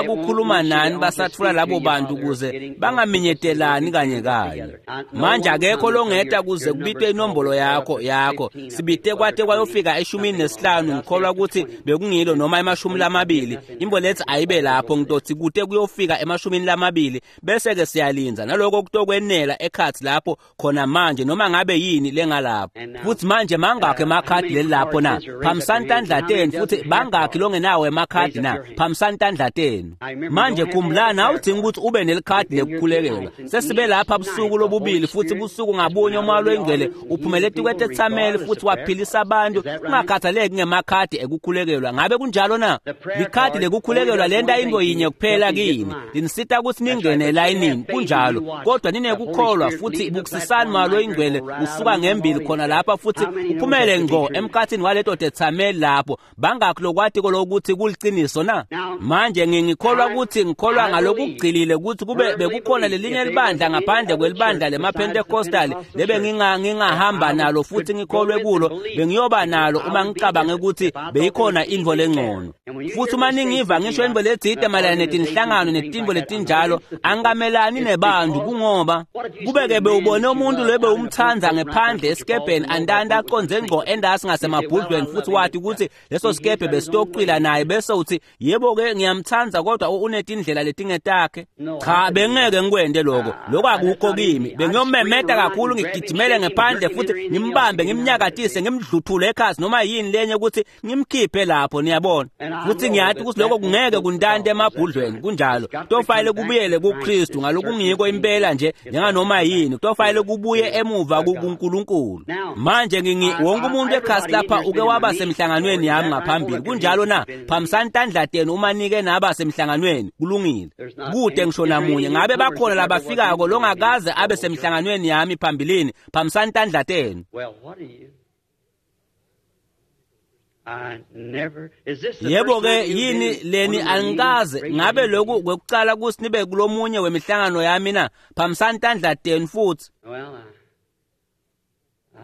kukhuluma nani basatfula labo bantu kuze bangaminyetelani kanye kanye. Manje akekho longeta kuze kubitwe inombolo yakho. Sibite kwate kwayofika 15, ngikholwa ukuthi bekungilo noma 20. Imbo lethi ayibe lapho, ngitothi kute kuyofika 20, bese ke siyalinza naloko kutokwenela ekhathi lapho khona manje noma ngabe yini lengalapho. Futhi manje mangakhe emakhadi lelapho na? Phamisani tandla tenu. Futhi bangakhi longenawo emakhadi na? Phamisani tandla tenu. Manje khumbulani, awudingi ukuthi ube nelikhadi lekukhulekelwa. Sesibe lapha busuku lobubili, futhi busuku ngabunye uMoya loyiNgcwele uphumele etikwetetsameli futhi waphilisa abantu kungakhathaleki ngemakhadi ekukhulekelwa. Ngabe kunjalo na? Likhadi lekukhulekelwa lenta into yinye kuphela kini, linisita ukuthi ningene elayinini. Kunjalo, kodwa ninekukholwa futhi bukusisani Moya loyiNgcwele usuka ngembili khona lapha futhi uphumele ngqo emkhathini waleto tetsameli lapho. Bangakhi lokwatiko lokuthi kuliciniso na? Manje ngikholwa ukuthi ngikholwa ngalokugcilile ukuthi kube bekukhona lelinye libandla ngaphandle kwelibandla lemaPentecostal lebe ngingahamba nalo futhi ngikholwe kulo, bengiyoba nalo uma ngicabange ukuthi beyikhona intfo lengcono. Futhi uma ningiva ngisho intfo letsite mayelana netinhlangano netintfo letinjalo, angikamelani nebantu, kungoba kube-ke bewubone umuntu lobe umthandza ngephandle esikebheni andanda aconze ngqo endasi ngasemabhudlweni futhi wathi ukuthi leso sikebhe besitocwila naye, bese uthi yebo-ke ngiyamthandza kodwa unetindlela letingetakhe. Cha, bengeke ngikwente lokho, lokho akukho kimi. Bengiyomemeta kakhulu ngigijimele ngephandle futhi ngimbambe ngimnyakatise ngimdluthule ekhasi noma yini lenye ukuthi ngimkhiphe lapho, niyabona. Futhi ngiyathi ukuthi lokho kungeke kuntante emabhudlweni. Kunjalo, kutofanele kubuyele kuKristu ngalokungiko impela nje njenganoma yini, kutofanele kubuye emuva kuNkulunkulu. Manje wonke umuntu ekhasi lapha uke waba semhlanganweni yami ngaphambili, kunjalo na? Phamisani tandla tenu uma nike naba semhlanganweni. Kulungile, kude ngisho namunye. Ngabe bakhona labafikako longakaze abe semhlanganweni yami phambilini? Phamisani tandla tenu. Yebo-ke, yini leni angikaze ngabe lokhu kwekucala kuthi nibe kulomunye wemihlangano yami na? Phamisani tandla tenu futhi.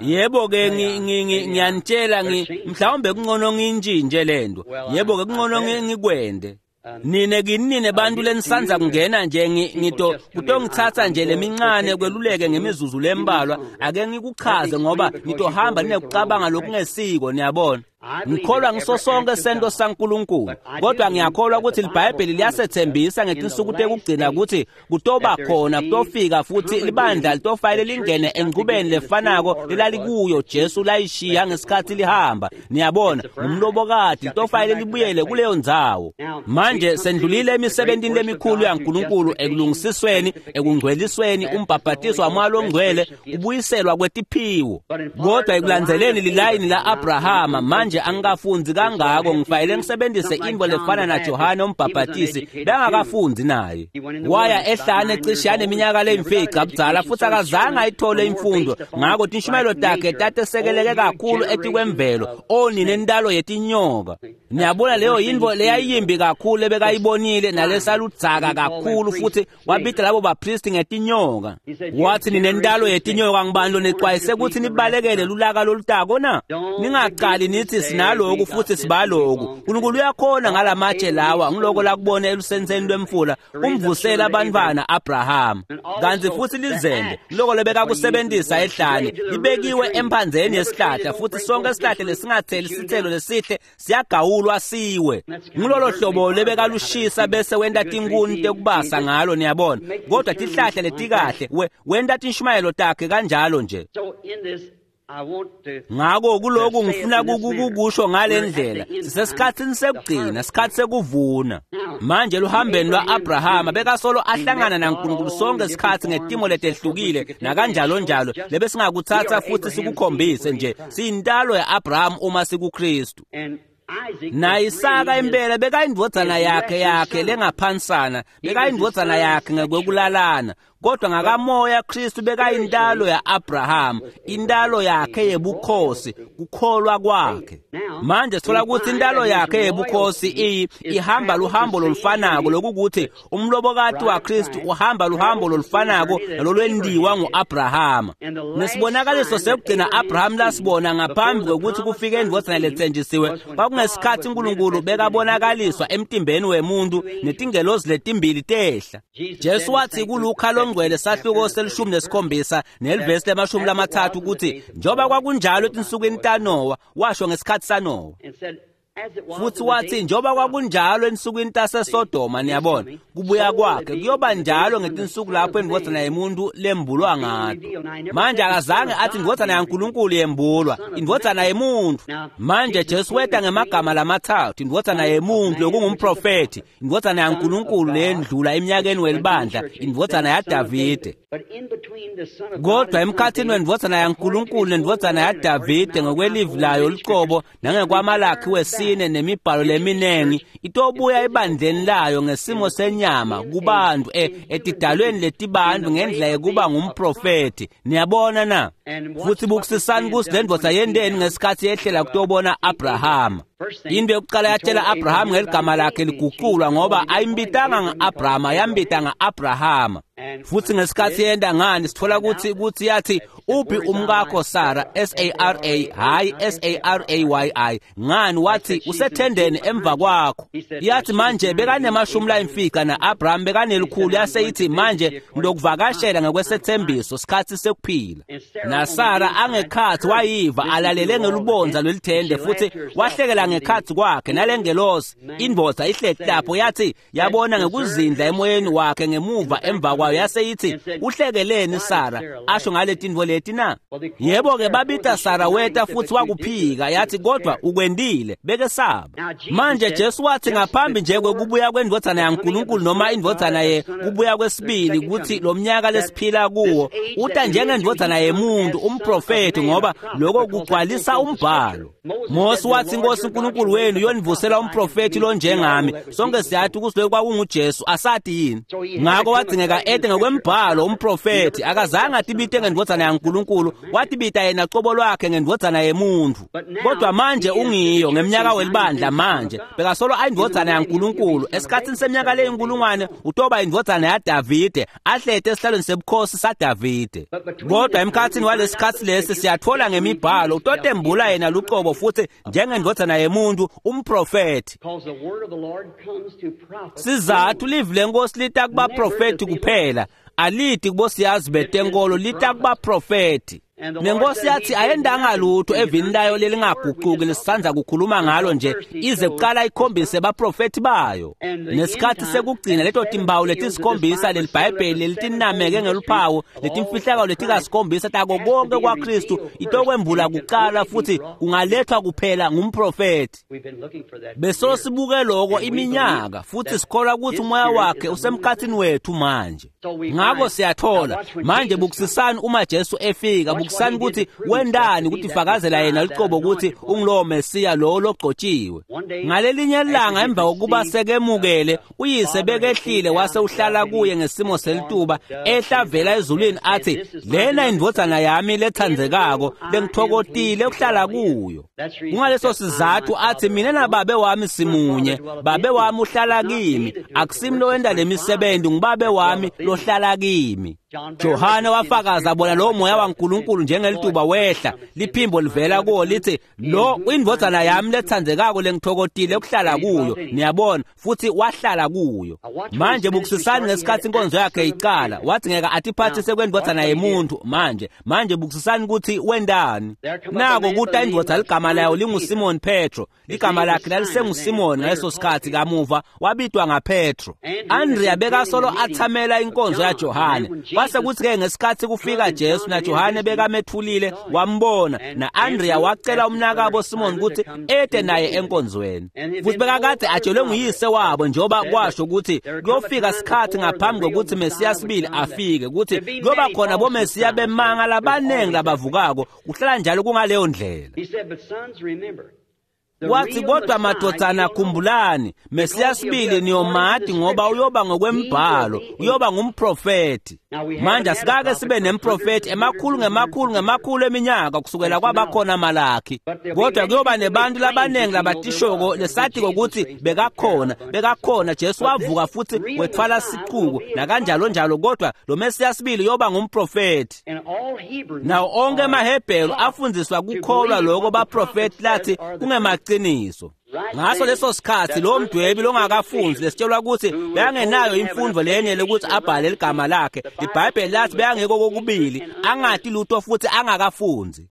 Yebo-ke, ngiyanitshela, mhlawumbe kungcono ngintshintshe lento. Yebo-ke, kungcono ngikwende. Nine kini bantu lenisanza kungena nje ngito kutongithatha nje lemincane kweluleke ngemizuzu lembalwa, ake ngikuchaze ngoba ngitohamba ninekucabanga lokungesiko, niyabona. Ngikholwa ngiso sonke sento saNkulunkulu, kodwa ngiyakholwa ukuthi iBhayibheli liyasethembisa ngetinsuku tekugcina ukuthi kutoba khona kutofika futhi libandla litofanele lingene enqubeni lefanako lelalikuyo Jesu layishiya ngesikhathi lihamba. Niyabona, ngumlobokati litofanele libuyele kuleyo ndzawo. Manje sendlulile emisebentini lemikhulu yaNkulunkulu ekulungisisweni, ekungcwelisweni, umbhabhatiso waMoya loNgcwele, kubuyiselwa kwetiphiwo. Kodwa ekulandzeleni lilayini la-Abrahama, manje angikafundi kangako, ngifanele ngisebenzise intfo lefana naJohane umbhabhatisi, bengakafundi naye. Waya ehlane cishe yaneminyaka leyimfica budzala futhi akazange ayithole imfundo, ngakho tinshumayelo takhe tatesekeleke kakhulu etikwemvelo, onine intalo yetinyoka. Niyabona, leyo yintfo leyayimbi kakhulu ebekayibonile nalesaludzaka kakhulu, futhi wabita labo bapristi ngetinyoka. Wathi, ninentalo yetinyoka, ngibani lonexwayise ukuthi nibalekele lulaka lolutako na? Ningaqali nithi sinaloku futhi sibaloku. uNkulunkulu uyakhona ngalamatshe lawa, ngiloko lakubona elusenseni lwemfula, umvusela abantwana Abraham. Kanti futhi lizembe loko lebekakusebenzisa ehlane libekiwe emphandzeni yesihlahla, futhi sonke isihlahla lesingatheli sithelo lesihle siyagawulwa siwe. Ngilolo hlobo lebekalushisa bese wenta tinkuni tekubasa ngalo, niyabona. Kodwa tihlahla letikahle wenta tinshumayelo takhe kanjalo nje. Ngako kuloku ngifuna kukusho ngale ndlela, sisesikhatsini sekugcina, sikhathi sekuvuna. Manje luhambeni lwa-Abrahama bekasolo ahlangana naNkulunkulu sonke isikhathi ngetimo letehlukile nakanjalo njalo, lebesingakuthatha futhi sikukhombise nje siyintalo ya-Abraham uma sikuKristu. Na-Isaka impela bekayindvodzana yakhe lengaphansana, bekayindvodzana yakhe ngekwekulalana. Kodwa ngakamoya Kristu bekayintalo ya-Abraham, intalo yakhe yebukhosi, kukholwa kwakhe. Manje sithola ukuthi intalo yakhe yebukhosi ihamba luhambo lolufanako, lokukuthi umlobokati waKristu uhamba luhambo lolufanako nalolwendiwa ngu-Abrahama. Nesibonakaliso sekugcina Abraham lasibona ngaphambi kwekuthi kufike indvodzana letsenjisiwe kwakungesikhathi uNkulunkulu bekabonakaliswa emtimbeni wemuntu netingelozi letimbili tehla. Jesu wathi kuLuka longcwele sahluko se-17 nelivesi le-30 ukuthi njengoba kwakunjalo etinsukwini taNowa, washo ngesikhathi saNowa. Futhi wathi njengoba kwakunjalo ensukwini taseSodoma, niyabona, kubuya kwakhe kuyoba njalo ngetinsuku lapho indvodzana yemuntu lembulwa ngato. Manje akazange athi indvodzana yaNkulunkulu yembulwa, indvodzana yemuntu. Manje Jesu weta ngemagama lamathathu, indvodzana yemuntu lokungumprofethi, indvodzana yaNkulunkulu lendlula eminyakeni welibandla, indvodzana yaDavide. Kodwa emkhathini wendvodzana yaNkulunkulu nendvodzana yaDavide ngokwelivi layo lucobo nangekwaMalakhi wesine nemibhalo leminengi, itobuya ebandleni layo ngesimo senyama kubantu etidalweni letibantu ngendlela yekuba ngumprofethi. Niyabona na? Futhi bukusisani kusi le ndvodza yenteni ngesikhathi yehlela kutobona Abrahama. Into yokuqala yatshela Abraham ngeligama lakhe liguqulwa, ngoba ayimbitanga nga-Abrahama, yambita nga-Abrahama. Futhi ngesikhathi yenda ngani sithola ukuthi yathi uphi umkakho Sara, S-A-R-A, hayi S-A-R-A-Y-I. Ngani wathi usethendeni emva kwakho. Yathi manje bekanemashumi layimfica na-Abraham bekanelikhulu, yase ithi manje ngilokuvakashela ngokwesethembiso sikhathi sekuphila. NaSara angekhathi wayiva alalele ngelubonza lwelithende, futhi wahlekela ngekhathi kwakhe nalengelosi indvodza ihleti lapho, yathi yabona ngekuzindla emoyeni wakhe ngemuva emva kwayo, yase ithi uhlekeleni Sara asho ngale tintfo leti na? Yebo ke babita Sara weta futhi wakuphika, yathi kodwa ukwendile bekesaba. Manje Jesu wathi ngaphambi nje kwekubuya kwendvodzana yaNkulunkulu noma indvodzana ye kubuya kwesibili, ukuthi lo mnyaka lesiphila kuwo uta njengendvodzana yemuntu umprofethi, ngoba lokho kugcwalisa umbhalo. Mose wathi inkosi uNkulunkulu wenu yonivusela umprofethi lonjengami. Sonke siyathi ukuthi lokho kwakunguJesu, asathi yini? Ngakho wadzingeka ete ngokwembhalo umprofethi. Akazange atibite ngendvodzana yaNkulunkulu, watibita yena cobo lwakhe ngendvodzana yemuntu. Kodwa manje ungiyo ngeminyaka welibandla manje bekasolo ayindvodzana yaNkulunkulu. Esikhathini seminyaka leyinkulungwane utoba indvodzana yaDavide, ahlete esihlalweni sebukhosi saDavide. Kodwa emkhathini walesikhathi lesi siyathola ngemibhalo utotembula yena lucobo futhi njengendvodzana yemuntu umprofethi. Sizathu livi lenkosi lita kubaprofethi kuphela, aliti kubosiyazi betenkolo, lita kubaprofethi. Nenkosi yathi ayendanga lutho evini layo lelingaguquki lesisanza kukhuluma ngalo nje, ize kuqala ikhombise baprofethi bayo. Nesikhathi sekugcina leto timbawu letisikhombisa leliBhayibheli lelitinameke ngeluphawu letimfihlakalo letikasikhombisa tako konke kwaKristu itokwembula kuqala futhi kungalethwa kuphela ngumprofethi. Beso sibuke lokho iminyaka futhi sikholwa ukuthi umoya wakhe usemkhathini wethu manje. Ngakho siyathola manje, bukusisani uma Jesu efika, bukusani ukuthi wendani ukuthi fakazela yena lucobo ukuthi ungulowo Mesiya lo logcotshiwe. Ngalelinye ilanga emva kokuba sekemukele uyise bekehlile wase uhlala kuye ngesimo selituba, ehla vela ezulwini athi lena indvodzana yami lethandzekako lengithokotile ukuhlala kuyo. Kungaleso sizathu athi mina nababe wami simunye, babe wami uhlala kimi, akusimi lowenda lemisebenzi, ngubabe wami lohlala kimi. Johane wafakaza bona lo moya waNkulunkulu njengelituba wehla, liphimbo livela kuwo lithi lo indvodzana yami lethandzekako lengithokotile ukuhlala kuyo. Niyabona, futhi wahlala kuyo. Manje bukusisani ngesikhathi inkonzo yakhe iqala, wathi ngeke atiphathise kwendvodzana yemuntu. Manje bukusisani ukuthi wendani. Nako kuta indvodza ligama layo linguSimon Petro, ligama lakhe lalisenguSimon ngaleso sikhathi, kamuva wabitwa ngaPetro. Andrea bekasolo athamela inkonzo yaJohane. Kwase kuthi-ke ngesikhathi kufika Jesu naJohane bekamethulile wambona, na-Andrea wacela umnakabo Simon ukuthi ete naye enkonzweni. Futhi bekakade atshelwe nguyise wabo, njengoba kwasho ukuthi kuyofika sikhathi ngaphambi kokuthi Mesiya sibili afike, ukuthi kuyoba khona boMesiya bemanga labaningi labavukako. Kuhlala njalo kungaleyo ndlela. Wathi kodwa madvodzana khumbulani, Mesiya sibili niyomati ngoba uyoba ngokwembhalo, uyoba ngumprofethi. Manje asikake sibe nemprofethi emakhulu ngemakhulu ngemakhulu eminyaka kusukela kwabakhona Malakhi. Kodwa kuyoba nebantu labaningi labatishoko lesatiko ukuthi bekakhona Jesu wavuka futhi wethwala sicuku nakanjalo njalo, kodwa lo Mesiya sibili uyoba ngumprofethi. Nawo onke amaHebheru afundziswa kukholwa lokho baprofethi lathi kungemaqiniso. Ngaso leso sikhathi lo mdwebi longakafunzi lesitshelwa ukuthi bekangenayo imfundo lenye lokuthi abhale ligama lakhe. IBhayibheli lathi bekangekho kokubili, angati lutho futhi angakafunzi.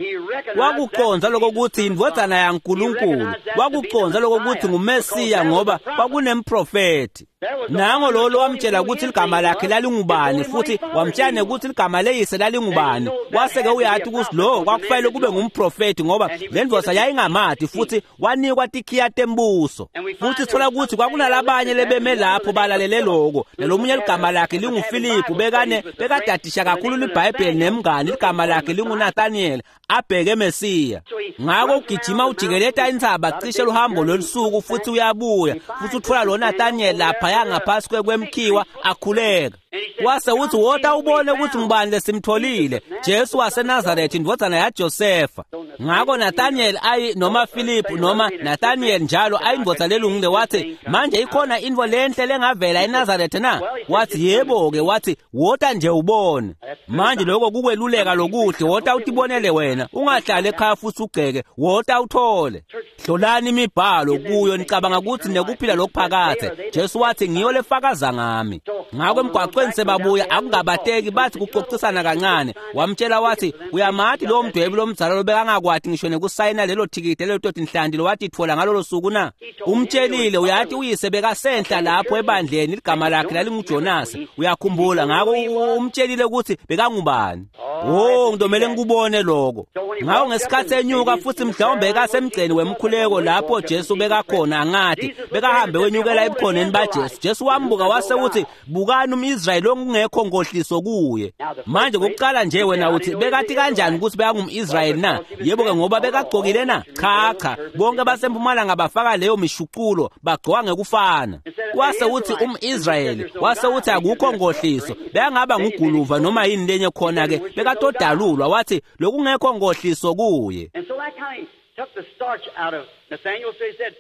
Wakuconza lokho ukuthi indvodzana yaNkulunkulu, wakuconza lokho ukuthi nguMesiya ngoba kwakunemprofethi. Nango lo lowamtshela ukuthi ligama lakhe lalingubani futhi wamtshela nekuthi ligama leyise lalingubani. Wase-ke uyathi ukuthi lo kwakufanele kube ngumprofethi ngoba le ndvodza yayingamati futhi wanikwa tikhiya tembuso. Futhi sithola ukuthi kwakunalabanye lebeme lapho balalele lokho. Nalomunye ligama lakhe linguFiliphu, bekadadisha kakhulu liBhayibheli nemngani, ligama lakhe linguNathaniel, abheke Mesiya. Ngakho ugijima ujikeleta intsaba cishe luhambo lolusuku futhi uyabuya futhi uthola lo Nathaniel lapha ngaphansi kwemkhiwa akhuleka. Wase uthi wota ubone ukuthi ngubani lesimtholile, Jesu waseNazaretha indvodzana yaJosefa. Ngakho Nathaniel ayi noma Philip noma Nathaniel njalo ayindvodza lelungile wathi manje ikhona intfo lenhle lengavela eNazaretha na? Wathi yebo ke, wathi wota nje ubone. Manje lokho kukweluleka lokuhle, wota utibonele wena, ungahlali ekhaya futhi ugceke, wota uthole. Hlolani imibhalo kuyo nicabanga ukuthi nekuphila lokuphakathe. Jesu wathi ngiyo lefakaza ngami. Ngakho emgwaqweni sebabuya akungabateki, bathi kuxoxisana kancane. Wamtshela wathi uyamati lo mdwebi lomdzala lobekangakwati ngisho nekusayina lelo thikiti lelo toti nhlanti lowathi ithola ngalolo suku na? Umtshelile uyathi uyise bekasenhla lapho ebandleni, ligama lakhe lalinguJonas. Uyakhumbula? Ngakho umtshelile ukuthi bekangubani. Oh, ngidomele ngikubone lokho. Ngakho ngesikhathi enyuka futhi mhlawumbe ekasemgceni wemkhuleko lapho Jesu bekakhona, angathi bekahambe wenyukela ebukhoneni baJesu. Jesu wambuka wase uthi bukani umIsrayeli ongekho ngohliso kuye. Manje kokuqala nje wena uthi bekathi kanjani ukuthi bekangumIsrayeli na? Yebo ke, ngoba bekagcokile na? Cha cha, bonke basempumalanga bafaka leyo mishuqulo, bagcoka ngekufana. Wase uthi umIsrayeli, wase uthi akukho ngohliso, bekangaba nguguluva noma yini lenye khona ke, bekatodalulwa. Wathi lokungekho ngohliso kuye.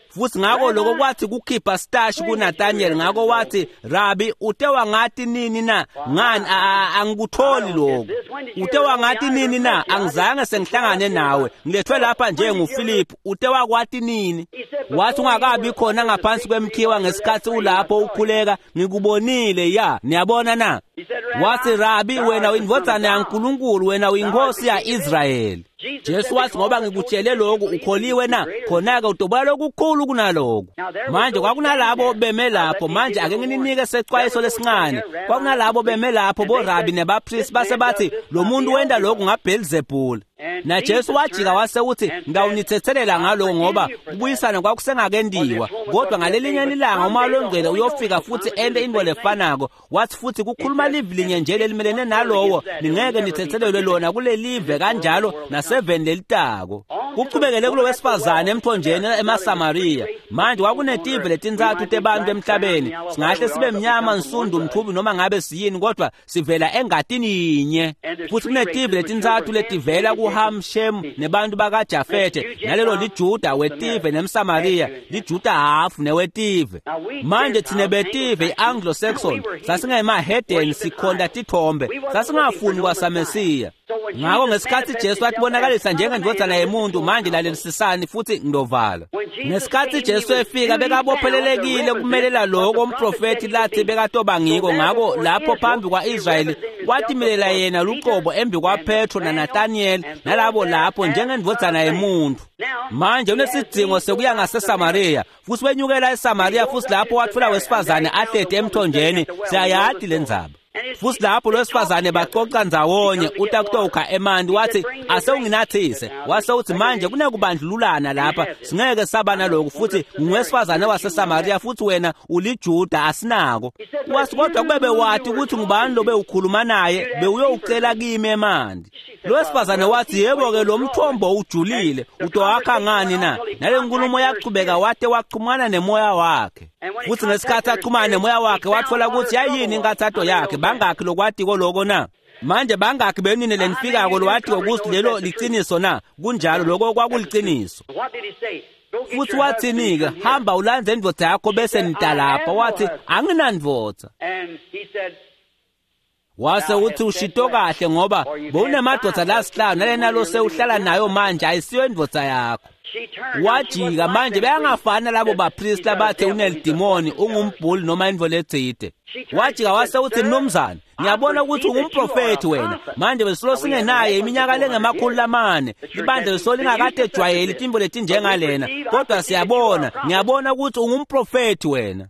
Futhi ngakho lokho kwathi kukhipha stash kuNathaniel. Ngakho wathi Rabi, ute wangathi nini na? Ngani angikutholi lokho. Ute wangathi nini na? Angizange sengihlangane nawe, ngilethwe lapha nje nguPhilip. Ute wakwati nini? Wathi ungakabi khona ngaphansi kwemkhiwa ngesikhathi ulapho ukhuleka, ngikubonile. Ya, niyabona na? Wathi Rabi, wena uyindvodzana yaNkulunkulu, wena uyinkosi yaIsrayeli. Jesu wathi ngoba ngikutshele lokhu ukholiwe na? Khona-ke utobola lokukhulu kunalokhu. Manje kwakunalabo beme lapho. Manje ake ngininike secwayiso lesincane. Kwakunalabo beme lapho borabi nebapristi base bathi lo muntu wenda lokhu ngaBelzebul. Na Jesu wajika wase uthi ngawunithethelela ngaloko ngoba kubuyisana kwakusengakendiwa, kodwa ngalelinye ilanga uma longcwele uyofika futhi ente into lefanako. Wathi futhi kukhuluma livi linye nje lelimelene nalowo, ningeke nithethelelwe lona kulelive kanjalo naseveni lelitako. Kuchubekele kulo wesifazane emthonjeni emaSamariya. Manje kwakunetive letintsatfu tebantu emhlabeni, singahle sibe mnyama, nsundu, mthubi noma ngabe siyini, kodwa sivela engatini yinye. Futhi kunetive letintsatfu letivela kuHam, Shem nebantu bakaJafethe, nalelo liJuda wetive nemSamariya, liJuda hafu newetive. Manje thine betive iAnglo-Saxon sasingemahedeni, sikhonta tithombe, sasingafuni kwasaMesiya. Ngakho ngesikhathi Jesu atibonakalisa njengendvodzana yemuntu, manje lalelisisani futhi ngidovala. Ngesikhathi Jesu efika bekabophelelekile kumelela lokho umprofethi lathi bekatoba ngiko. Ngakho lapho phambi kwaIsrayeli watimilela yena luqobo embi kwaPetro naNathaniel nalabo lapho njengendvodzana yemuntu. Manje unesidingo sekuya ngaseSamariya futhi wenyukela eSamariya, futhi lapho wathola wesifazane ahleti emthonjeni. Siyayati lendzaba. Futhi lapho lwesifazane baxoxa ndzawonye, utakutokha emanti, wathi asewunginathise. Wase uthi manje kunekubandlululana lapha, singeke saba naloku, futhi ngowesifazane waseSamaria futhi wena uliJuda, asinako. Wathi kodwa kube bewathi ukuthi ngubani lo bewukhuluma naye, bewuyowucela kimi emanti. Lowesifazane wathi yebo-ke lo mthombo ujulile, utowakha ngani na? Nale nkulumo yachubeka wate wachumana nemoya wakhe. Futhi ngesikhathi achumana nemoya wakhe wathola ukuthi yayini inkathato yakhe. Bangakhi lokwatiko loko na? Manje bangakhi benini lenifikako lowatiko ukuthi lelo liciniso na? Kunjalo, lokho kwakuliciniso. Futhi wathini-ke? Hamba ulandze indvodza yakho bese nitalapha. Wathi anginandvodza. Wase uthi ushito kahle ngoba bowunemadoda lasihlanu nalena lo sewuhlala nayo manje ayisiyo indvodza yakho. Wajika manje beyangafani labo bapristi abathe unelidimoni, ungumbhuli noma indvo letsite. Wajika wase uthi mnumzane, ngiyabona ukuthi ungumprofethi wena. Manje besilo singenaye iminyaka lengama-400, ibandla besilo lingakade ejwayeli tintfo letinjengalena, kodwa siyabona, ngiyabona ukuthi ungumprofethi wena.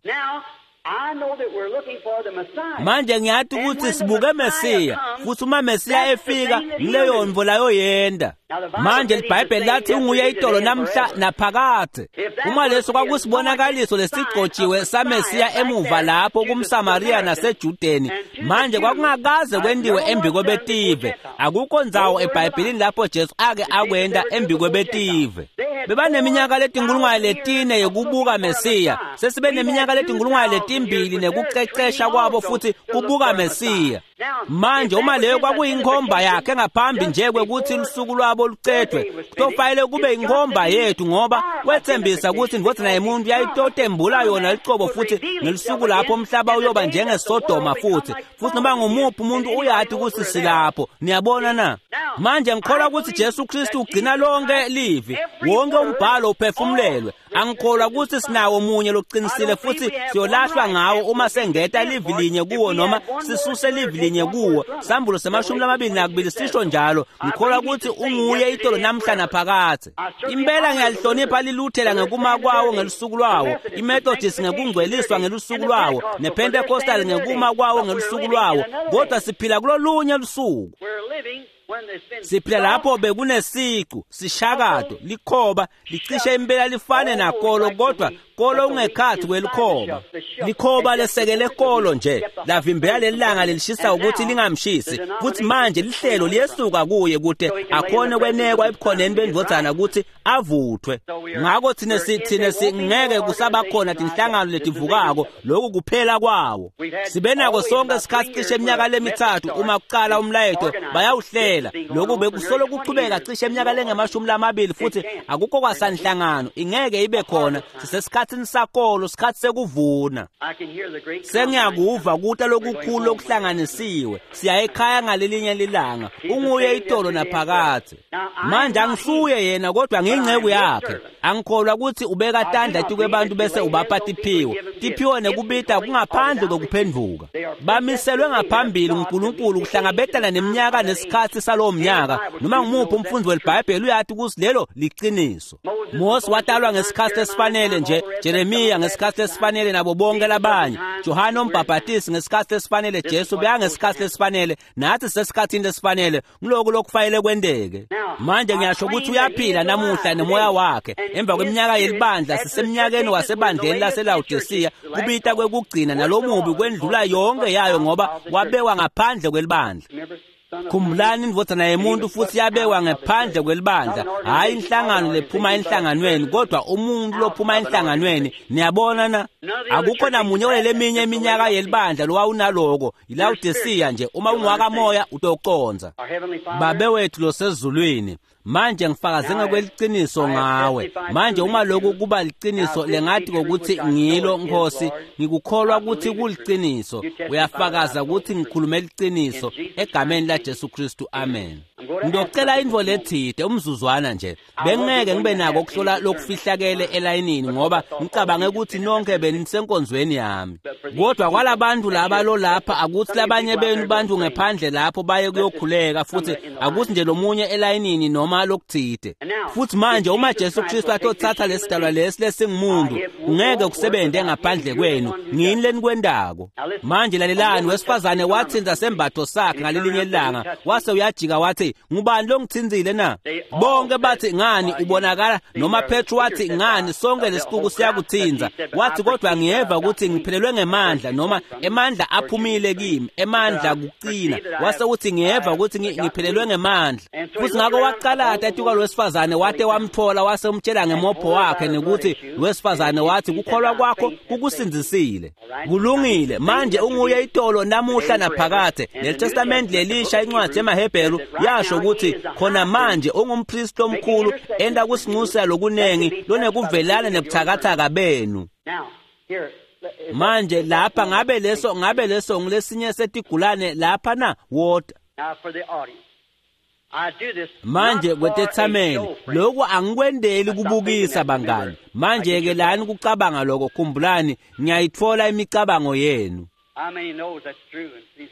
Manje ngiyathi ukuthi sibuke Mesiya, futhi uma Mesiya efika ngileyo ntfo layo yenda. Manje iBhayibheli lathi unguye itolo namhla naphakade. Uma leso kwakusibonakaliso lesigcotshiwe saMesiya emuva lapho kumSamaria naseJudeni, manje kwakungakaze kwendiwe embikwebetive. Akukho ndzawo eBhayibhelini lapho Jesu ake akwenda embikwebetive. Bebaneminyaka letinkulungwane yokubuka Mesiya, sesibe neminyaka letinkulungwane nekucecesha kwabo futhi kubuka Mesiya. Manje uma leyo kwakuyinkhomba yakhe ngaphambi nje kwekuthi lusuku lwabo lucedwe, kutofanele kube inkhomba yethu, ngoba wethembisa ukuthi indvodzana yemuntu yayitotembula yona licobo futhi ngelusuku lapho umhlaba uyoba njengeSodoma futhi noma ngumuphi umuntu uyati ukuthi silapho. Niyabona na? Manje ngikholwa ukuthi Jesu Kristu ugcina lonke livi, wonke umbhalo uphefumulelwe. Angikholwa ukuthi sinawo munye loqinisile futhi siyolahlwa ngawo uma sengeta livi linye kuwo noma sisuse livi linye kuwo. Sambulo se-22 sisho njalo. Ngikholwa ukuthi unguye itolo namhla naphakadze. Impela ngiyalihlonipha liLuthela ngekuma kwawo ngelusuku lwawo, iMethodist ngekungcweliswa ngelusuku lwawo, nePentecostal ngekuma kwawo ngelusuku lwawo, kodwa siphila kulolunye lusuku. Siphila lapho bekunesicu, sishakato, likhoba, licishe impela lifane nakolo, kodwa kolo ungekhathi kwelikhoba. Likhoba lesekele kolo nje, lavimbela lelanga lelishisa ukuthi lingamshisi. Futhi manje lihlelo liyesuka kuye kude akhone kwenekwa ebukhoneni bendvodzana ukuthi avuthwe. Ngakho thine singeke kusabakhona tinhlangano letivukako, lokhu kuphela kwawo. Sibe nako sonke isikhathi cishe iminyaka lemithathu uma kuqala umlayeto bayawuhlela. Lokhu bekusolo kuchubeka cishe iminyaka lengama-20 futhi akukho kwasanhlangano, ingeke ibe khona. Sisesikhathini sakolo, sikhathi sekuvuna. Sengiyakuva kuta lokukhulu okuhlanganisiwe. Siya ekhaya ngalelinye lilanga. Unguye itolo naphakadze. Manje angisuye yena kodwa ngiyinceku yakhe. Angikholwa ukuthi ubeka tandla etikwebantu bese ubapha tiphiwo. Tiphiwo nekubita kungaphandle kokuphenduka. Bamiselwe ngaphambili uNkulunkulu kuhlangabetana neminyaka nesikhathi salowo mnyaka. Noma ngumuphi umfundi weBhayibheli uyathi ukuthi lelo liqiniso. Mose watalwa ngesikhathi esifanele nje, Jeremiya ngesikhathi esifanele nabo bonke labanye, Johane umbhabhatisi ngesikhathi esifanele, Jesu beyangesikhathi esifanele, nathi sesikhathini esifanele. Ngiloko lokufanele kwenteke. Manje ngiyasho ukuthi uyaphila namuhla nemoya wakhe. Emva kweminyaka yelibandla siseminyakeni wasebandleni laseLawodisiya, kubita kwekugcina nalomubi kwendlula yonke yayo ngoba wabekwa ngaphandle kwelibandla. Khumbulani indvodzana yemuntu futhi yabekwa ngaphandle kwelibandla, hhayi inhlangano lephuma enhlanganweni, kodwa umuntu lophuma enhlanganweni. Niyabona na? Akukho namunye kuleleminye iminyaka yelibandla lowawunaloko. ILawodisiya nje, uma ungowakamoya utoconza. Babe wethu losezulwini, manje ngifakaze ngokweliciniso ngawe. Manje uma lokhu kuba liciniso lengathi ngokuthi ngilo Nkosi, ngikukholwa ukuthi kuliciniso. Uyafakaza ukuthi ngikhulume liciniso egameni la Jesu Kristu. Amen. Ngiyocela intfo letsite umzuzwana nje. Bengeke ngibe nako ukuhlola lokufihlakele elayinini ngoba ngicabange ukuthi nonke benisenkonzweni yami. Kodwa kwalabantu laba lo lapha akuthi labanye benu bantu ngephandle lapho baye kuyokhuleka futhi akuthi nje lomunye elayinini noma lokuthide. Futhi manje uma Jesu Kristu atothatha lesidalwa lesi lesingumuntu ngeke kusebenze ngaphandle kwenu. Ngini lenikwendako. Manje lalelani, wesifazane wathinza sembatho sakhe ngalelinye ilanga wase uyajika wathi, ngubani lo ngithinzile na? Bonke bathi, ngani ubonakala. Noma Petru wathi, ngani sonke lesixuku siyakuthinza. Wathi, kodwa ngiyeva ukuthi ngiphelelwe ngemandla, noma emandla aphumile kimi, emandla kucina. Wase uthi, ngiyeva ukuthi ngiphelelwe ngemandla. Futhi ngakho waqalata etuka lowesifazane wate wamthola, wase umtshela ngemopho wakhe nekuthi lowesifazane wathi, kukholwa kwakho kukusindzisile. Kulungile. Manje unguye itolo namuhla naphakade. Leli lelisha incwadi yemaHebheru yasho ukuthi khona manje ungumpristi omkhulu enda kusinxusa lokunengi lonekuvelana nebuthakathaka benu. Manje lapha ngabe leso ngilesinye setigulane lapha na wota. Manje kwetethameli lokhu angikwendeli kubukisa bangani. Manje ke lani kucabanga lokho, khumbulani ngiyayithola imicabango yenu.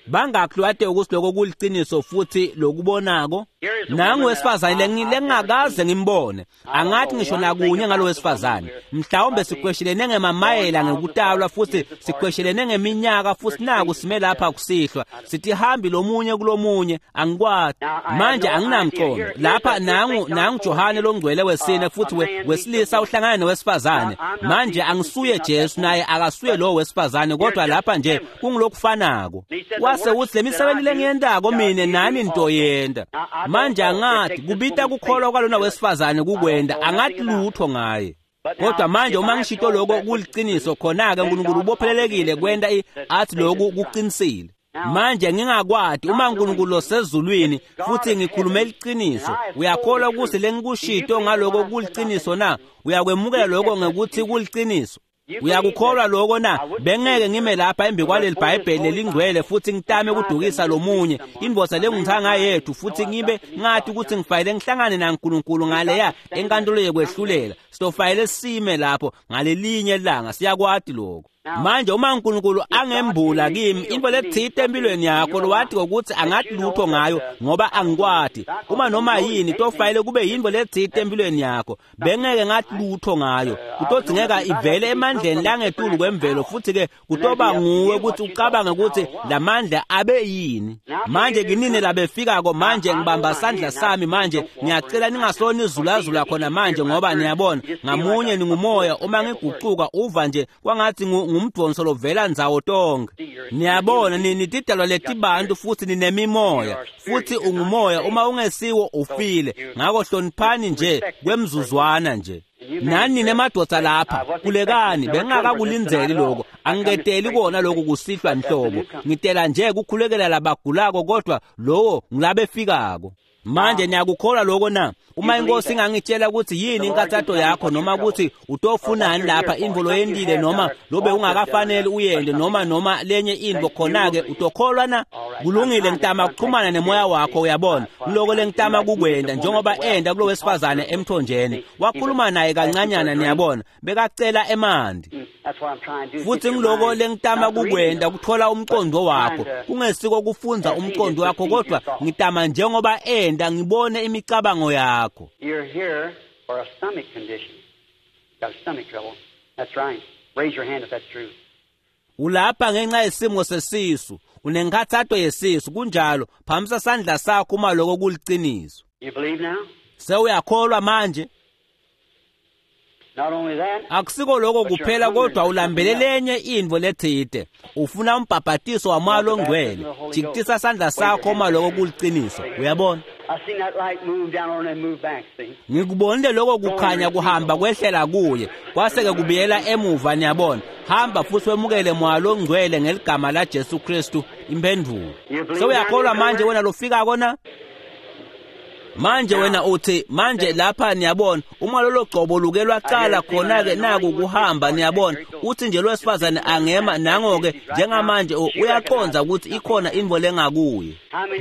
Bangakhi lwate ukuthi lokho kuliciniso futhi lokubonako? Nangu wesifazane lengingakaze ngimbone. Angathi ngisho nakunye ngalo wesifazane. Mhlawumbe sikweshelene ngemamayela ngekutalwa futhi sikweshelene ngeminyaka futhi naku sime lapha kusihlwa. Sithi hambi lomunye kulomunye, angikwati. Manje anginamqondo. Lapha nangu Johane longcwele wesine futhi wesilisa uhlangana nowesifazane. Manje angisuye Jesu naye akasuye lo wesifazane, kodwa lapha nje kungilokufanako. Wase uthi, lemisebenzi lengiyendako mina nani ntoyenda. Manje angathi kubita kukholwa kwalona wesifazane kukwenda, angathi lutho ngaye. Kodwa manje uma ngishito lokho kuliciniso, khona-ke uNkulunkulu ubophelelekile kwenda athi lokhu kuqinisile. Manje ngingakwati uma uNkulunkulu osezulwini futhi ngikhulume iqiniso, uyakholwa ukuthi lengikushito ngaloko kuliciniso na? Uyakwemukela lokho ngekuthi kuliciniso? Uyakukholwa lokho na? Bengeke ngime lapha embi kwaleli Bhayibheli lelingcwele futhi ngitame ukudukisa lomunye indvodza lengumthanga yethu futhi ngibe ngathi ukuthi ngifayele ngihlangane naNkulunkulu ngaleya enkantolo yekwehlulela. Sitofayele sime lapho ngalelinye ilanga, siyakwati lokho. Manje uma uNkulunkulu angembula kimi into lethite empilweni yakho lowathi ngokuthi angathi lutho ngayo ngoba angikwati, uma noma yini tofayele kube yinto lethite empilweni yakho, bengeke ngathi lutho ngayo, kutodzingeka ivele emandleni langetulu kwemvelo futhi ke kutoba nguwe ukuthi ucabange ukuthi lamandla abe yini. Manje kinini labefikako manje ngibamba sandla sami manje ngiyacela ningasoni izulazula khona manje, ngoba niyabona ngamunye ningumoya. Uma ngigucuka uva nje kwangathi ngumdonso lovela ndzawo tonke. Niyabona nitidalwa letibantu futhi ninemimoya futhi ungumoya, uma ungesiwo ufile. Ngakho hloniphani nje kwemzuzwana nje. Nani nemadoda lapha kulekani, bengingakakulindzeli lokho, angiketeli kona lokho kusihlwa nhlobo. Ngitela nje kukhulekela labagulako, kodwa lowo ngilabefikako. Manje niyakukholwa lokho na? Uma inkosi ingangitshela ukuthi yini inkathato yakho, noma ukuthi utofunani lapha, intfo loyentile noma lobe ungakafanele uyende, noma lenye intfo, khona-ke utokholwa na? Kulungile, ngitama kuxhumana nemoya wakho, uyabona. Kuloko lengitama kukwenda njengoba enda kulo wesifazane emthonjeni. Wakhuluma naye kancanyana, niyabona, bekacela emanti. Futhi ngiloko lengitama kukwenda kuthola umqondo wakho. Kungesiko kufunza umqondo wakho, kodwa ngitama njengoba enda ngibone imicabango yakho. You're here for a stomach condition. Got a stomach trouble. That's right. Raise your hand if that's true. Ulapha ngenxa yesimo sesisu, unenkathato yesisu, kunjalo. Phamisa sandla sakho uma lokho kuliciniso. You believe now? Sewuyakholwa manje? Not only that, akusiko lokho kuphela, kodwa ulambele lenye intfo lethite. Ufuna umbhabhatiso wamoya longcwele. Jikitisa sandla sakho uma lokho kuliciniso. Uyabona? I seen that light move down on and move back, see? Ngikubonile lokho kukhanya kuhamba kwehlela kuye, kwase-ke kubuyela emuva, niyabona. Hamba futhi wemukele moya longcwele ngeligama la Jesu Kristu, imphendulo. Sewuyakholwa manje wena lofikako na? Manje wena uthi, manje lapha niyabona, uma lolo gcobo luke lwaqala khona-ke naku kuhamba, niyabona. Uthi nje lowesifazane angema nango-ke njengamanje uyaqonza ukuthi ikhona intfo lengakuye.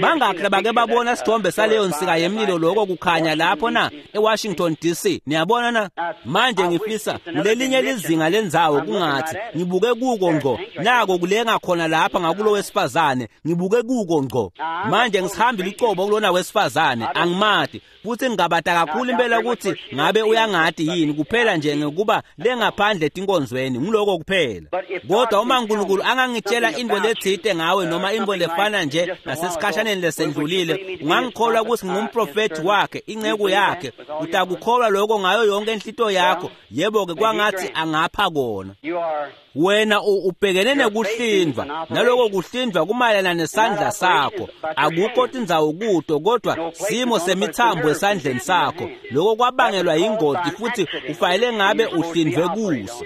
Bangakhi labake babona sithombe saleyo nsika yemlilo lokho kukhanya lapho na eWashington DC? Niyabona na? Manje ngifisa kulelinye lizinga lendzawo kungathi ngibuke kuko ngco, nako kulenga khona lapha ngakulo wesifazane, ngibuke kuko ngco. Manje ngisihambile ucobo kulona wesifazane, angimati futhi ngingabata kakhulu impela ukuthi ngabe uyangati yini, kuphela nje ngekuba lengaphandle etinkonzweni, ngiloko kuphela. Kodwa uma uNkulunkulu angangitshela into letsite ngawe noma into lefana nje nasesikhashaneni lesendlulile, ungangikholwa ukuthi ngingumprofethi wakhe, inceku yakhe? Utakukholwa lokho ngayo yonke inhlito yakho? Yebo-ke, kwangathi angapha kona. Wena ubhekene nekuhlindvwa, naloko kuhlindvwa kumayelana nesandla sakho. Akukho tindzawo kuto, kodwa simo semithambo esandleni sakho. Lokho kwabangelwa yingoti futhi ufanele ngabe uhlindvwe kuso.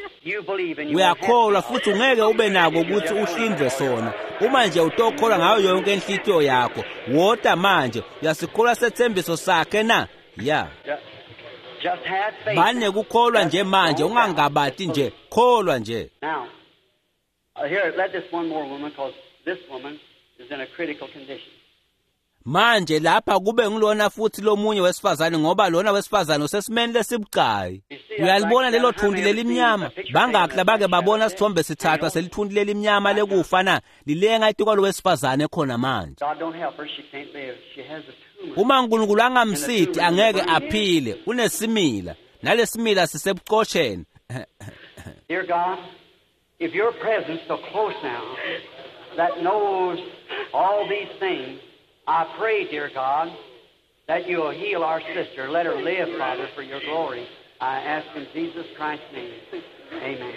Uyakholwa futhi ungeke ube nako ukuthi uhlindvwe sona uma nje utokholwa ngayo yonke inhlitiyo yakho. Wota manje, uyasikholwa sethembiso sakhe na? Ya. Banekukholwa nje manje, ungangabati nje, kholwa nje. Now, here, let this one more woman, because this woman is in a critical condition. Manje lapha kube ngulona futhi lomunye wesifazane, ngoba lona wesifazane usesimeni lesibucayi. Uyalibona lelo thunti lelimnyama? Bangakhi labake babona sithombe sithathwa selithunti lelimnyama lekufa na? Lilenga etikwalo wesifazane khona manje. God don't help her, she can't live. She has a tumor. Uma uNkulunkulu angamsiti angeke aphile, unesimila, nalesimila sisebucosheni. Dear God, if your presence so close now that knows all these things, I pray, dear God, that you'll heal our sister. Let her live, Father, for your glory. I ask in Jesus Christ's name. Amen.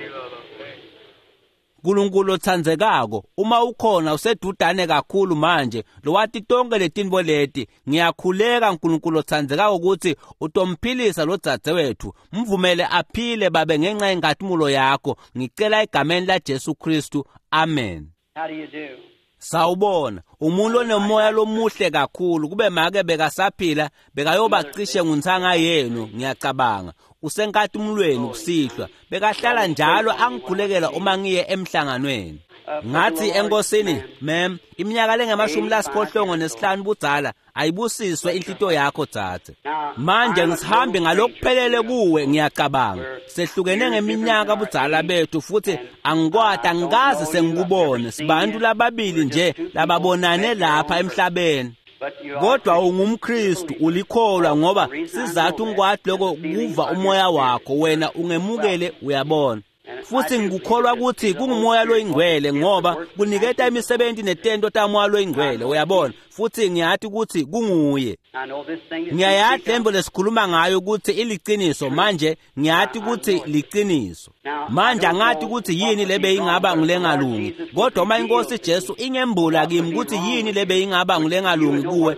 Nkulunkulu otsandzekako, uma ukhona usedudane kakhulu manje lowati tonke letintfo leti, ngiyakhuleka Nkulunkulu otsandzekako ukuthi utomphilisa lo dzadzewethu, mvumele aphile babe ngenxa yenkatimolo yakho. Ngicela egameni la Jesu Kristu, amen. How do you do? Sawubona, umuntu onemoya lomuhle kakhulu, kube make bekasaphila bekayoba cishe nguntsanga yenu, ngiyacabanga. Usenkatimulweni kusihlwa, bekahlala njalo angikhulekela uma ngiye emhlanganweni. Ngathi enkosini, mem, iminyaka lengama-85 budzala, ayibusiswe inhlito yakho dzadze. Manje ngisihambe ngalokuphelele kuwe, ngiyacabanga. Sehlukene ngeminyaka budzala bethu futhi angikwati, angikaze sengikubone. Sibantu lababili nje lababonane lapha emhlabeni. Kodwa ungumKristu, ulikholwa, ngoba sizathu ngikwati lokho kuva umoya wakho, wena ungemukele, uyabona. Futhi ngikukholwa ukuthi kungumoya loyingcwele, ngoba kuniketa imisebenzi netento tamoya loyingcwele, uyabona. Futhi ngiyati ukuthi kunguye. I know this thing is Ngiyayati lembo lesikhuluma ngayo ukuthi iliciniso, manje ngiyati ukuthi liciniso. Manje angati ukuthi yini lebe ingaba ngulengalungi, kodwa uma inkosi Jesu ingembula kimi ukuthi yini lebe ingaba ngulengalungi kuwe,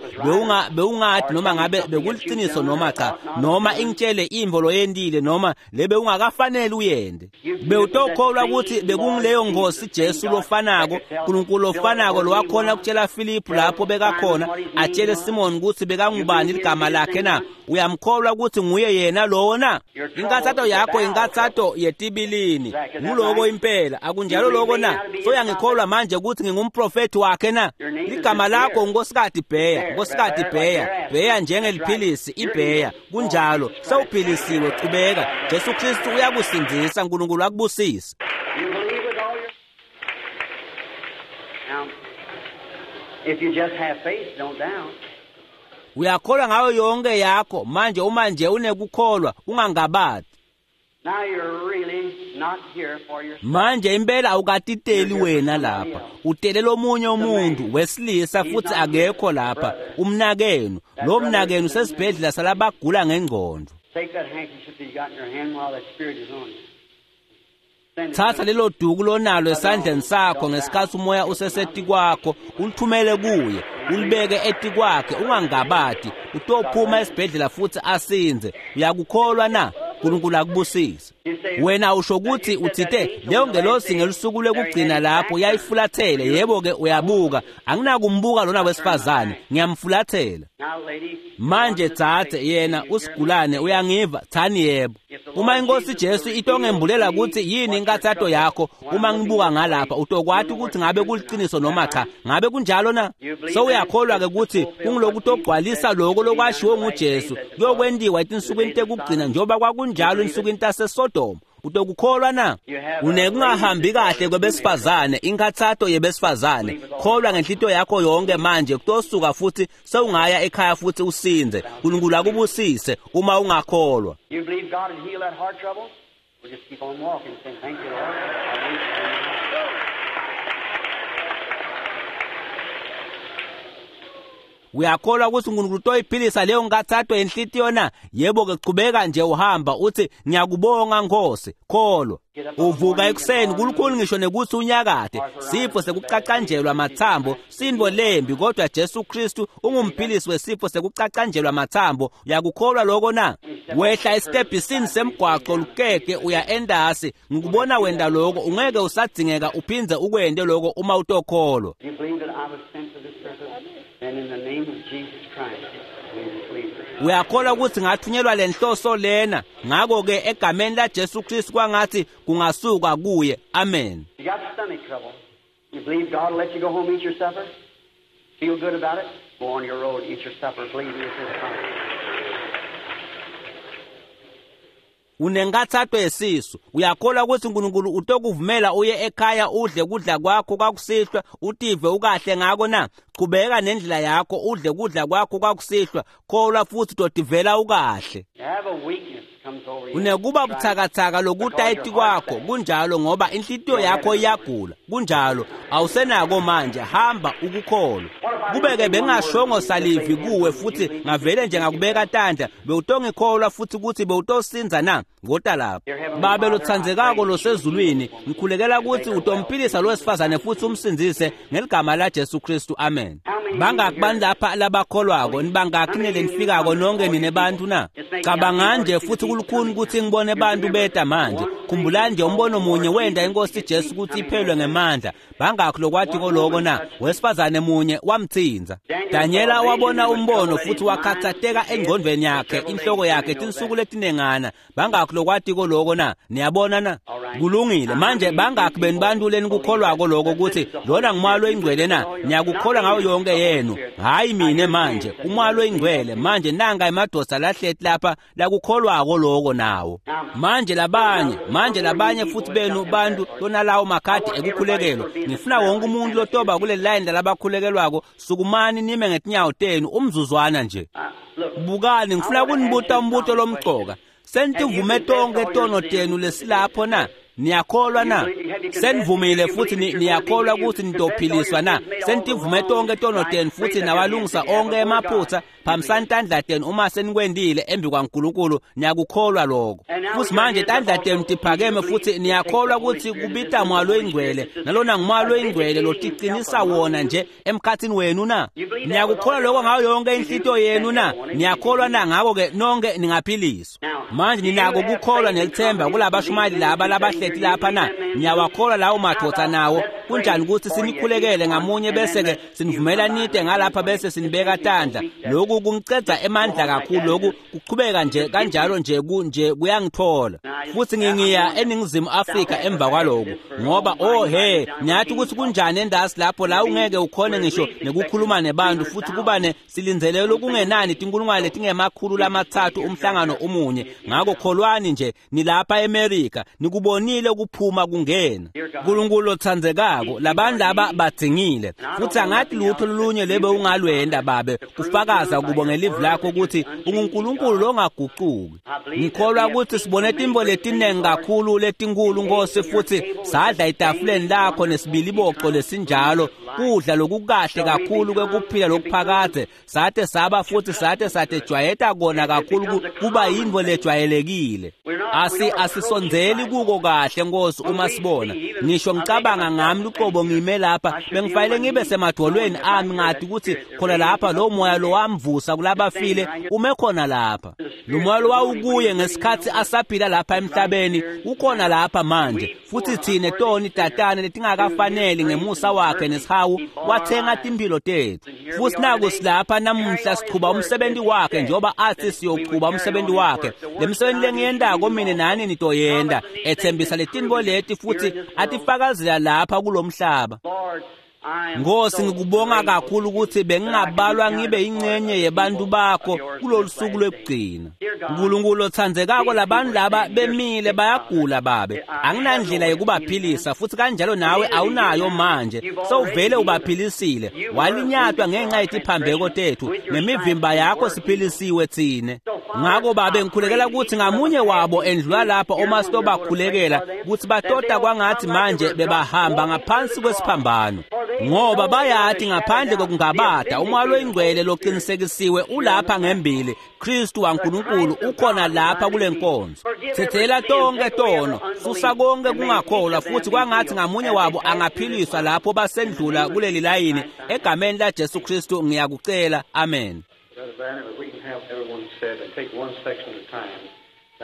bewungati noma ngabe bekuliciniso noma cha, noma ingitshele imvo loyentile noma lebe ungakafanele uyende. Bewutokholwa ukuthi bekungileyo Nkosi Jesu lofanako, uNkulunkulu lofanako lowakhona kutshela Philip lapho bekakhona, atshele Simon ukuthi bekangubani ligama lakhe na? Uyamkholwa ukuthi nguye yena lowo na? Inkathato yakho inkathato yetibilini, nguloko impela, akunjalo loko na? Soyangikholwa manje ukuthi ngingumprofethi wakhe na? Ligama lakho uNkosikati Bheya, Nkosikati Bheya, Bheya njengeliphilisi iBheya, kunjalo, sewuphilisiwe, chubeka. Jesu Kristu uyakusindzisa, uNkulunkulu akubusise. You believe with all your... Now, if you just have faith, don't doubt. Uyakholwa ngayo yonke yakho manje, uma nje unekukholwa ungangabati. Now you're really not here for yourself. Manje impela awukatiteli wena lapha, utele lomunye umuntu wesilisa futhi akekho lapha, umnakenu. Lo mnakenu usesibhedlela salabagula ngengqondo. Take that handkerchief that you got in your hand while that spirit is on you. Send it Thatha to him. lelo duku lonalo esandleni sakho ngesikhathi umoya usesetikwakho, ulithumele kuye, ulibeke etikwakhe, ungangabati. Utophuma esibhedlela futhi asinze. Uyakukholwa na? Nkulunkulu akubusise. Wena usho ukuthi uthite leyo ngelosi ngelusuku lwekugcina lapho yayifulathele. Yebo-ke, uyabuka, anginakumbuka lona wesifazane, ngiyamfulathela. Manje dzadze, yena usigulane, uyangiva? Thani yebo. Uma inkosi Jesu itongembulela ukuthi yini inkathato yakho, uma ngibuka ngalapha utokwati ukuthi ngabe kuliciniso noma cha. Ngabe kunjalo na? So uyakholwa-ke ukuthi kungilokutogcwalisa lokho lokwashiwo nguJesu kuyokwentiwa etinsukwini tekugcina njengoba kwakunjalo ensukwini taseSodoma. Utokukholwa na? Unekungahambi kahle kwebesifazane, inkathato yebesifazane. Kholwa ngenhlito yakho yonke manje, kutosuka futhi sewungaya ekhaya futhi usinze. Nkulunkulu akubusise uma ungakholwa. You believe God will heal that heart trouble? We'll just keep on walking, saying, thank you, Lord. I believe. Uyakholwa ukuthi uNkulunkulu utoyiphilisa leyo nkathato yenhlitiyo na? Yebo-ke, chubeka nje uhamba uthi ngiyakubonga Nkosi. Kholwa. Uvuka ekuseni kulukhulu ngisho nekuthi unyakade. Sifo sekucacanjelwa mathambo sintfo lembi, kodwa Jesu Kristu ungumphilisi wesifo sekucacanjelwa mathambo. Uyakukholwa lokho na? Wehla esitebhisini semgwaco lukeke uya endasi, ngikubona wenda lokho, ungeke usadzingeka uphindze ukwente lokho uma utokholwa. You believe that I was sent for this purpose? Then in the name of Jesus Christ, we believe. Uyakholwa ukuthi ngathunyelwa lenhloso lena? Ngakho-ke egameni laJesu Kristu kwangathi kungasuka kuye. Amen. You got stomach trouble. You believe God will let you go home, eat your supper? Feel good about it? Go on your road, eat your supper, believe it's His promise. Unenkathato yesisu. Uyakholwa ukuthi uNkulunkulu utokuvumela uye ekhaya udle kudla kwakho kwakusihlwa, utive ukahle ngako na? Chubeka nendlela yakho udle kudla kwakho kwakusihlwa, kholwa futhi utotivela ukahle. You have a weakness comes over you. Unekuba buthakathaka lokutayiti kwakho, kunjalo, ngoba inhlitiyo yakho iyagula. Kunjalo, awusenako manje, hamba ukukholwa. Kube-ke bengingashongo salivi kuwe futhi ngavele nje ngakubeka tandla, bewutongikholwa futhi ukuthi bewutosinza na? Ngota lapha. Babe lotsandzekako losezulwini, ngikhulekela ukuthi utomphilisa lo wesifazane futhi umsindzise ngeligama laJesu Kristu. Amen. Bangaki bani lapha labakholwako? Nibangaki nele nifikako nonke nine bantu na? Cabanga nje futhi kulukhuni ukuthi ngibone bantu beta manje. Khumbulani nje umbono munye wenda inkosi Jesu ukuthi iphelwe ngemandla. Bangakhi lokwathi koloko na? Wesifazane munye wamthinza. Daniela wabona umbono futhi wakhathateka engqondweni yakhe, inhloko yakhe tinsuku letinengana. Bangakhi lokwathi koloko na? Niyabona na? Kulungile. Manje bangakhi benu bantu lenikukholwako lokho ukuthi lona ngumoya loyingcwele na? Niyakukholwa ngayo yonke yenu. Hayi mine manje, umoya loyingcwele. Manje nanga emadoda lahleti lapha lakukholwako lokho nawo. Manje labanye, manje labanye futhi benu bantu lonalawo makhadi ekukhulekelwa. Ngifuna wonke umuntu lotoba kule line labakhulekelwako, sukumani nime ngetinyawo tenu umzuzwana nje. Bukani, ngifuna kunibuta umbuto lomcoka. Senivume tonke tono tenu lesilapho na? Niyakholwa na? Senivumile futhi niyakholwa ukuthi nitophiliswa na? Senivume tonke tono tenu futhi nawalungisa onke emaphutha. Phamisani tandla tenu uma senikwendile embi kwaNkulunkulu. Niyakukholwa lokho? Futhi manje tandla tenu tiphakeme futhi niyakholwa ukuthi kubita moya loyingcwele, nalona ngumoya loyingcwele lotiqinisa wona nje emkhathini wenu na? Niyakukholwa lokho ngayo yonke inhlitiyo yenu na? Niyakholwa na? Ngakho-ke nonke ningaphiliswa. Manje ninako ukukholwa nelithemba kulabashumayeli laba labahleti lapha na? Niyawakholwa lawo madoda nawo? Kunjani ukuthi sinikhulekele ngamunye bese-ke sinivumela nide ngalapha bese sinibeka tandla? Lokhu kungiceda emandla kakhulu, lokhu kuqhubeka nje kanjalo nje nje kuyangithola. Futhi ngingiya eNingizimu Afrika emva kwalokhu, ngoba oh he, ngiyathi ukuthi kunjani endasi lapho la ungeke ukhone ngisho nekukhuluma nebantu, futhi kuba ne silindzele lokungenani tinkulungwane letingema-300 umhlangano umunye. Ngakho kholwani nje, nilapha eMerika, nikubonile ukuphuma kungena. Nkulunkulu lotsandzekako, labantu laba badzingile futhi angathi lutho lolunye lebe ungalwenda babe kufakaza kubo ngelivi lakho ukuthi unguNkulunkulu longaguquki. Ngikholwa ukuthi sibone tintfo letinengi kakhulu letinkulu Nkosi, futhi sadla etafuleni lakho nesibiliboco lesinjalo, kudla lokukahle kakhulu kwekuphila lokuphakadze, sate saba futhi sate satejwayeta kona kakhulu kuba yintfo lejwayelekile. Asisondzeli kuko kahle. kahle Nkosi uma sibona ngisho ngicabanga ngami luqobo ngime lapha bengifanele ngibe semadvolweni ami ngati ukuthi khona lapha lo moya lo wamvusa kulabafile ume khona lapha. Lo moya lo wawukuye ngesikhathi asaphila lapha emhlabeni ukhona lapha manje, futhi thine toni tatane letingakafaneli ngemusa wakhe nesihawu wathenga timphilo tethu. Futhi naku silapha namuhla sichuba umsebenzi wakhe njengoba athi siyochuba umsebenzi wakhe. Le msebenzi lengiyendako mina nani nitoyenda, ethembisa letintfo leti futhi atifakazela lapha kulomhlaba. Nkosi, ngikubonga kakhulu ukuthi bengingabalwa ngibe ingcenye yebantu bakho kulolu suku lwekugcina. Nkulunkulu othandzekako, labantu laba bemile bayagula babe, anginandlela yokubaphilisa, futhi kanjalo nawe awunayo manje, sewuvele ubaphilisile. Walinyatwa ngenxa yetiphambeko tethu, nemivimba yakho siphilisiwe tsine. Ngako babe ngikhulekela ukuthi ngamunye wabo endlula lapha uma sitobakhulekela ukuthi batota kwangathi manje bebahamba ngaphansi kwesiphambano, ngoba bayati ngaphandle kokungabada umoya loyingcwele loqinisekisiwe ulapha ngembili. Kristu waNkulunkulu ukhona lapha kule nkonzo. Thethela tonke tono, susa konke kungakholwa, futhi kwangathi ngamunye wabo angaphiliswa lapho basendlula kuleli layini. Egameni la Jesu Kristu ngiyakucela, amen.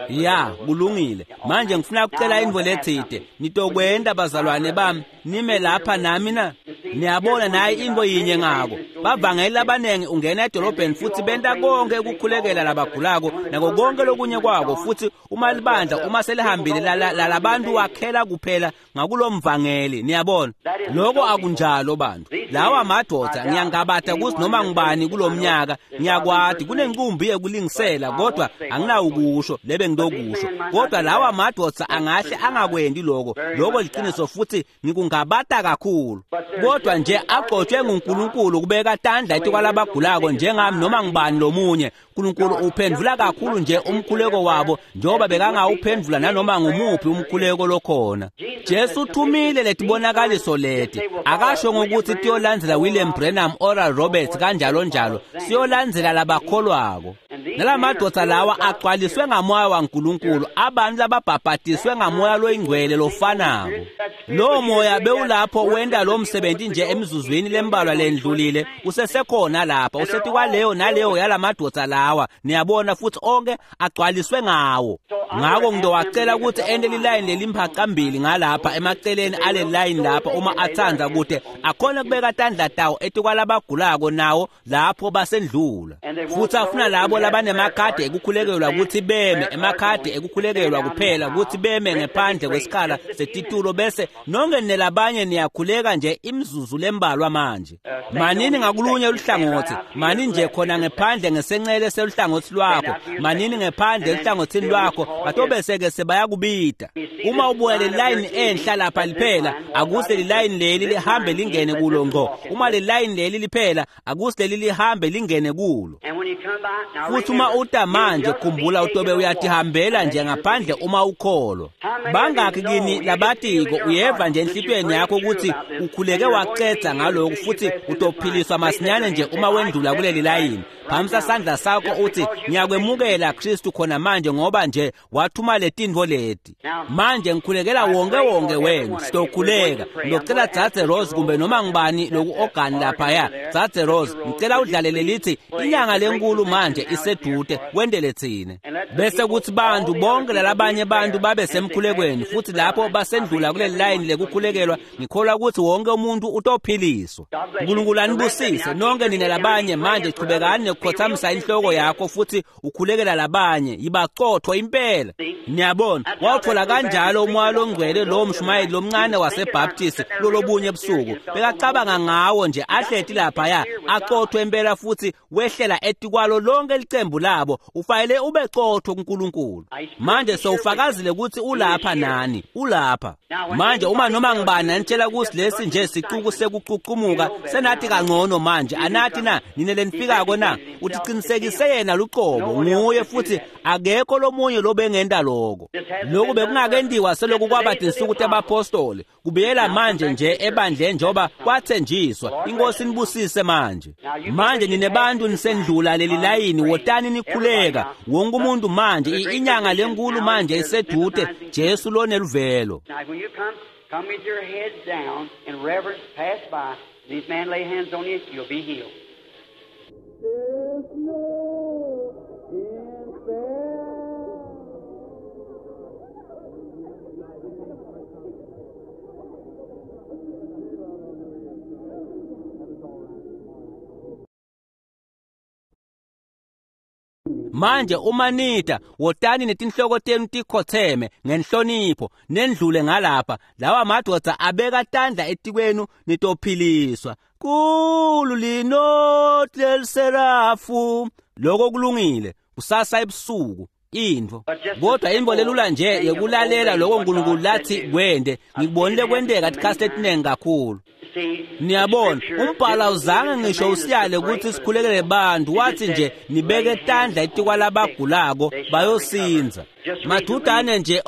Ya, kulungile. Manje ngifuna ukucela intfo letsite. Nitokwenda bazalwane bami nime lapha nami na? Niyabona nayi intfo yinye ngako. Bavangeli labanengi ungena edolobheni futhi benta konke ukukhulekela labagulako nako konke lokunye kwako, futhi uma libandla uma selihambile lalabantu wakhela kuphela ngakulomvangeli. Niyabona lokho akunjalo bantu. Lawa madoda ngiyangabata ukuthi noma ngibani kulomnyaka ngiyakwati kunenqumbi yekulingisela, kodwa anginawukusho lebe ngilokusho. Kodwa lawa madoda angahle angakwendi lokho. Lokho liqiniso futhi ngikungabata kakhulu. Kodwa nje agcotshwe nguNkulunkulu kubeka tandla etikwalabagulako njengami noma ngibani lomunye. uNkulunkulu uphendvula kakhulu nje umkhuleko wabo njengoba bekangawuphendvula nanoma ngumuphi umkhuleko lokhona. Jesu uthumile letibonakaliso leti, akasho ngokuthi tiyolandzela William Branham, Oral Roberts kanjalo njalo, siyolandzela labakholwako. Nalamadoda lawa agcwaliswe ngamoya waNkulunkulu, abantu lababhabhadiswe ngamoya loyingcwele lofanako. Lo moya bewulapho wenda lo msebenzi nje emizuzwini lembalwa lendlulile, usesekhona lapha, usethi kwaleyo naleyo yalamadoda lawa. Niyabona, futhi onke agcwaliswe ngawo. Ngako ngidowacela ukuthi ente lilayini lelimphaca-mbili ngalapha emaceleni ale layini lapha uma atsandza kude akhona kubeka tandla tawo etikwalabagulako nawo lapho basendlula. Futhi afuna labo labanemakhadi ekukhulekelwa ukuthi beme, emakhadi ekukhulekelwa kuphela ukuthi beme ngephandle kwesikhala setitulo, bese nonke nelabanye niyakhuleka nje imizuzu lembalwa manje. Manini ngakulunye luhlangothi, mani nje khona ngephandle ngesencele seluhlangothi lwakho, manini ngephandle eluhlangothini lwakho, batobese-ke sebayakubida. Uma ubuya le layini enhla lapha liphela, akuse lilayini leli lihambe lingene kulo ngqo. Uma le layini leli liphela, akuse leli lihambe lingene kulo. Futhi uma uta manje, khumbula utobe uyatihambela nje ngaphandle uma ukholwa. Bangakhi kini labatiko uyeva nje enhlitiyweni yakho ukuthi ukhuleke wacetha ngalokhu futhi utophiliswa masinyane nje uma wendlula kuleli layini. Phamisa sandla sakho uthi ngiyakwemukela Kristu khona manje ngoba nje wathuma letintfo leti. Manje ngikhulekela wonke wonke wenu, sitokhuleka. Ngizocela Dzadze Rose kumbe noma ngibani loku ogani laphaya. Dzadze Rose, ngicela udlalele lithi inyanga lenkulu manje isedude, wendele tsine. Bese kuthi bantu bonke lalabanye bantu babe semkhulekweni, futhi lapho basendlula kuleli layini lekukhulekelwa, ngikholwa ukuthi wonke umuntu utophiliswa. uNkulunkulu anibusise nonke nina labanye. Manje chubekani nekukhothamisa inhloko yakho futhi ukhulekela labanye, yibacotho impela. Niyabona, wawuthola kanjalo umoya longcwele lo mshumayeli lomncane waseBaptist lolobunye ebusuku. Bekacabanga ngawo nje ahleti laphaya acothwe impela futhi wehlela etikwalo lonke licembu labo. Ufanele ube cotho kuNkulunkulu. Manje sewufakazile ukuthi ulapha nani, ulapha. Manje uma noma ngibani anitshela ukuthi lesi nje sicuku sekucucumuka, senathi kangcono manje anathi na nine lenifikako na utiqinisekise yena luqobo nguye, futhi akekho lomunye lobengenda lokho. Lokhu bekungakendiwa seloku kwaba tinsuku tebapostoli, kubuyela manje nje ebandleni njengoba kwathenjiswa. Inkosi inibusise manje. manje. Manje nine bantu nisendlula leli layini, wotani nikhuleka. Wonke umuntu manje, inyanga lenkulu manje isedude, Jesu loneluvelo. Now, when you come, come with your heads down in reverence, pass by. These men lay hands on you, you'll be healed. Manje umanita wotani netinhloko tenu tikhotheme ngenhlonipho nendlule ngalapha. Lawa madoda abeka tandla etikwenu nitophiliswa. Kulu linot leliserafu. Lokho kulungile. Kusasa ebusuku intfo. Kodwa intfo lelula nje yekulalela lokho uNkulunkulu lathi kwende. Ngikubonile kwenteka tikhathi letiningi kakhulu. Niyabona, umbhalo awuzange ngisho usiyale ukuthi sikhulekele bantu, wathi nje nibeke tandla etikwalabagulako bayosinza. Madudane nje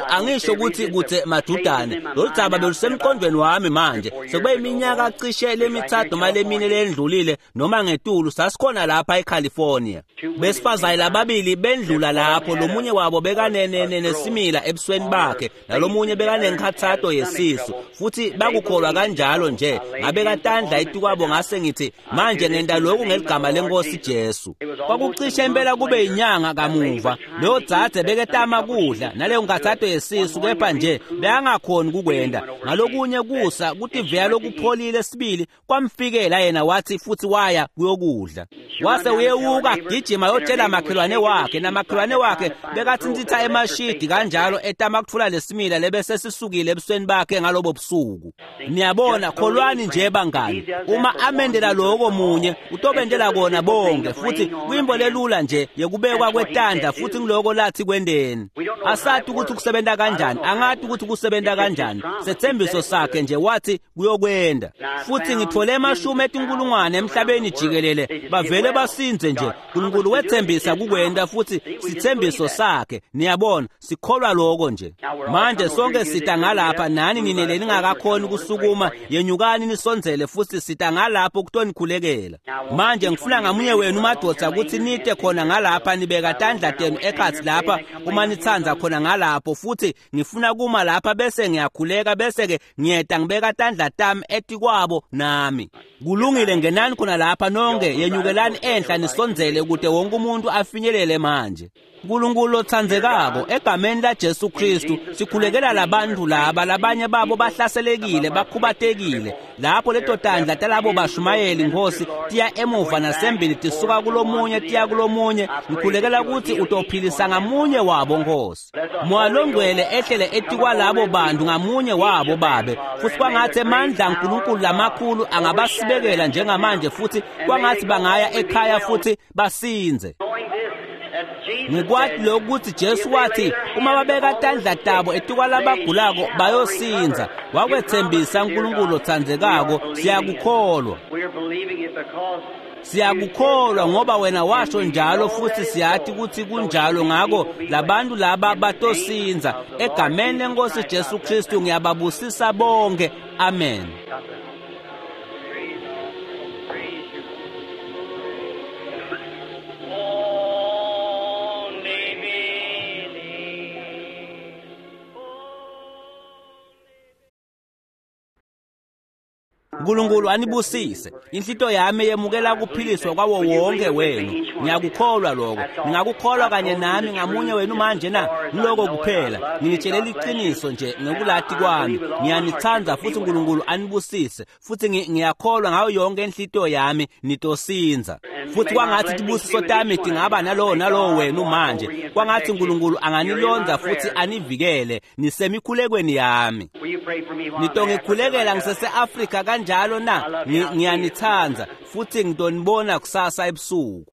angisho ukuthi kuthe madudane, lolu dzaba belusemqondweni wami manje. Sekube iminyaka cishe lemithathu noma lemine lendlulile noma ngetulu, sasikhona lapha eCalifornia. Besifazane lababili bendlula lapho, lomunye wabo bekanenenesimila ebusweni bakhe, nalomunye bekanenkhathato yesisu, futhi bakukholwa kanjalo nje. Ngabeka tandla etikwabo ngase ngithi manje ngenta lokhu ngeligama lenkosi Jesu. Kwakucishe impela kube inyanga kamuva, leyo dzadze beketama kudla naleyo nkhathato yesisu, kepha nje bekangakhoni kukwenda. Ngalokunye kusa kutivela lokupholile sibili kwamfikela yena, wathi futhi waya kuyokudla. Wase uyewuka gijima yotshela makhelwane wakhe, namakhelwane wakhe bekathintitha emashidi kanjalo etama kutfula lesimila lebese sisukile ebusweni bakhe ngalobo busuku. Niyabona, kholwani nje bangani, uma amendela lokho munye utobendela kona bonke. Futhi kuyimbo lelula nje yekubekwa kwetandla, futhi ngiloko lathi kwendeni. Asathi ukuthi kusebenta kanjani, angathi ukuthi kusebenta kanjani. Sethembiso sakhe nje wathi kuyokwenda. Futhi ngithole emashumi etinkulungwane emhlabeni jikelele bavele basinze nje. uNkulunkulu wethembisa kukwenda, futhi sithembiso sakhe. Niyabona, sikholwa lokho nje. Manje sonke sita ngalapha, nani nine leningakakhoni kusukuma, yenyukani nisondzele futhi sita ngalapho kutonikhulekela. Manje ngifuna ngamunye wenu madoda ukuthi nite khona ngalapha, nibeka tandla tenu ekhatsi lapha uma nitsandza khona ngalapho, futhi ngifuna kuma lapha bese ngiyakhuleka, bese ke ngiyeta ngibeka tandla tami etikwabo nami. Kulungile, ngenani khona lapha nonke, yenyukelani enhla nisondzele kute wonke umuntu afinyelele manje. uNkulunkulu othandzekako, egameni la Jesu Kristu sikhulekela labantu laba, labanye babo bahlaselekile, bakhubatekile. Lapho leto tandla talabo bashumayeli Nkosi tiya emuva nasembili, tisuka kulomunye tiya kulomunye. Ngikhulekela ukuthi utophilisa ngamunye wabo Nkosi. Moya longcwele ehlele etikwalabo bantu ngamunye wabo Babe, futhi kwangathi amandla kaNkulunkulu lamakhulu angabasibekela njengamanje, futhi kwangathi bangaya ekhaya futhi basinze. Ngikwati lokuthi Jesu wathi uma babeka tandla tabo etikwalabagulako bayosinza. Wakwethembisa uNkulunkulu othandzekako, siyakukholwa. Siyakukholwa ngoba wena washo njalo, futhi siyathi ukuthi kunjalo. Ngako labantu laba batosinza. Egameni lenkosi Jesu Kristu ngiyababusisa bonke. Amen. uNkulunkulu anibusise. Inhlito yami yemukela kuphiliswa kwawo wonke wenu. Ngiyakukholwa lokho. Ngingakukholwa kanye nami ngamunye wenu manje na? Ngiloko kuphela. Nginitshelela iqiniso nje ngokulati kwami. Ngiyanithanda futhi uNkulunkulu anibusise. Futhi ngiyakholwa ngayo yonke inhlito yami nitosinza. Futhi kwangathi tibusiso tami tingaba nalowo nalowo wenu manje. Kwangathi uNkulunkulu anganilonda futhi anivikele nisemikhulekweni yami. Nitongikhulekela ngisese-Afrika kanjalo na? Ngiyanithanda futhi ngitonibona kusasa ebusuku.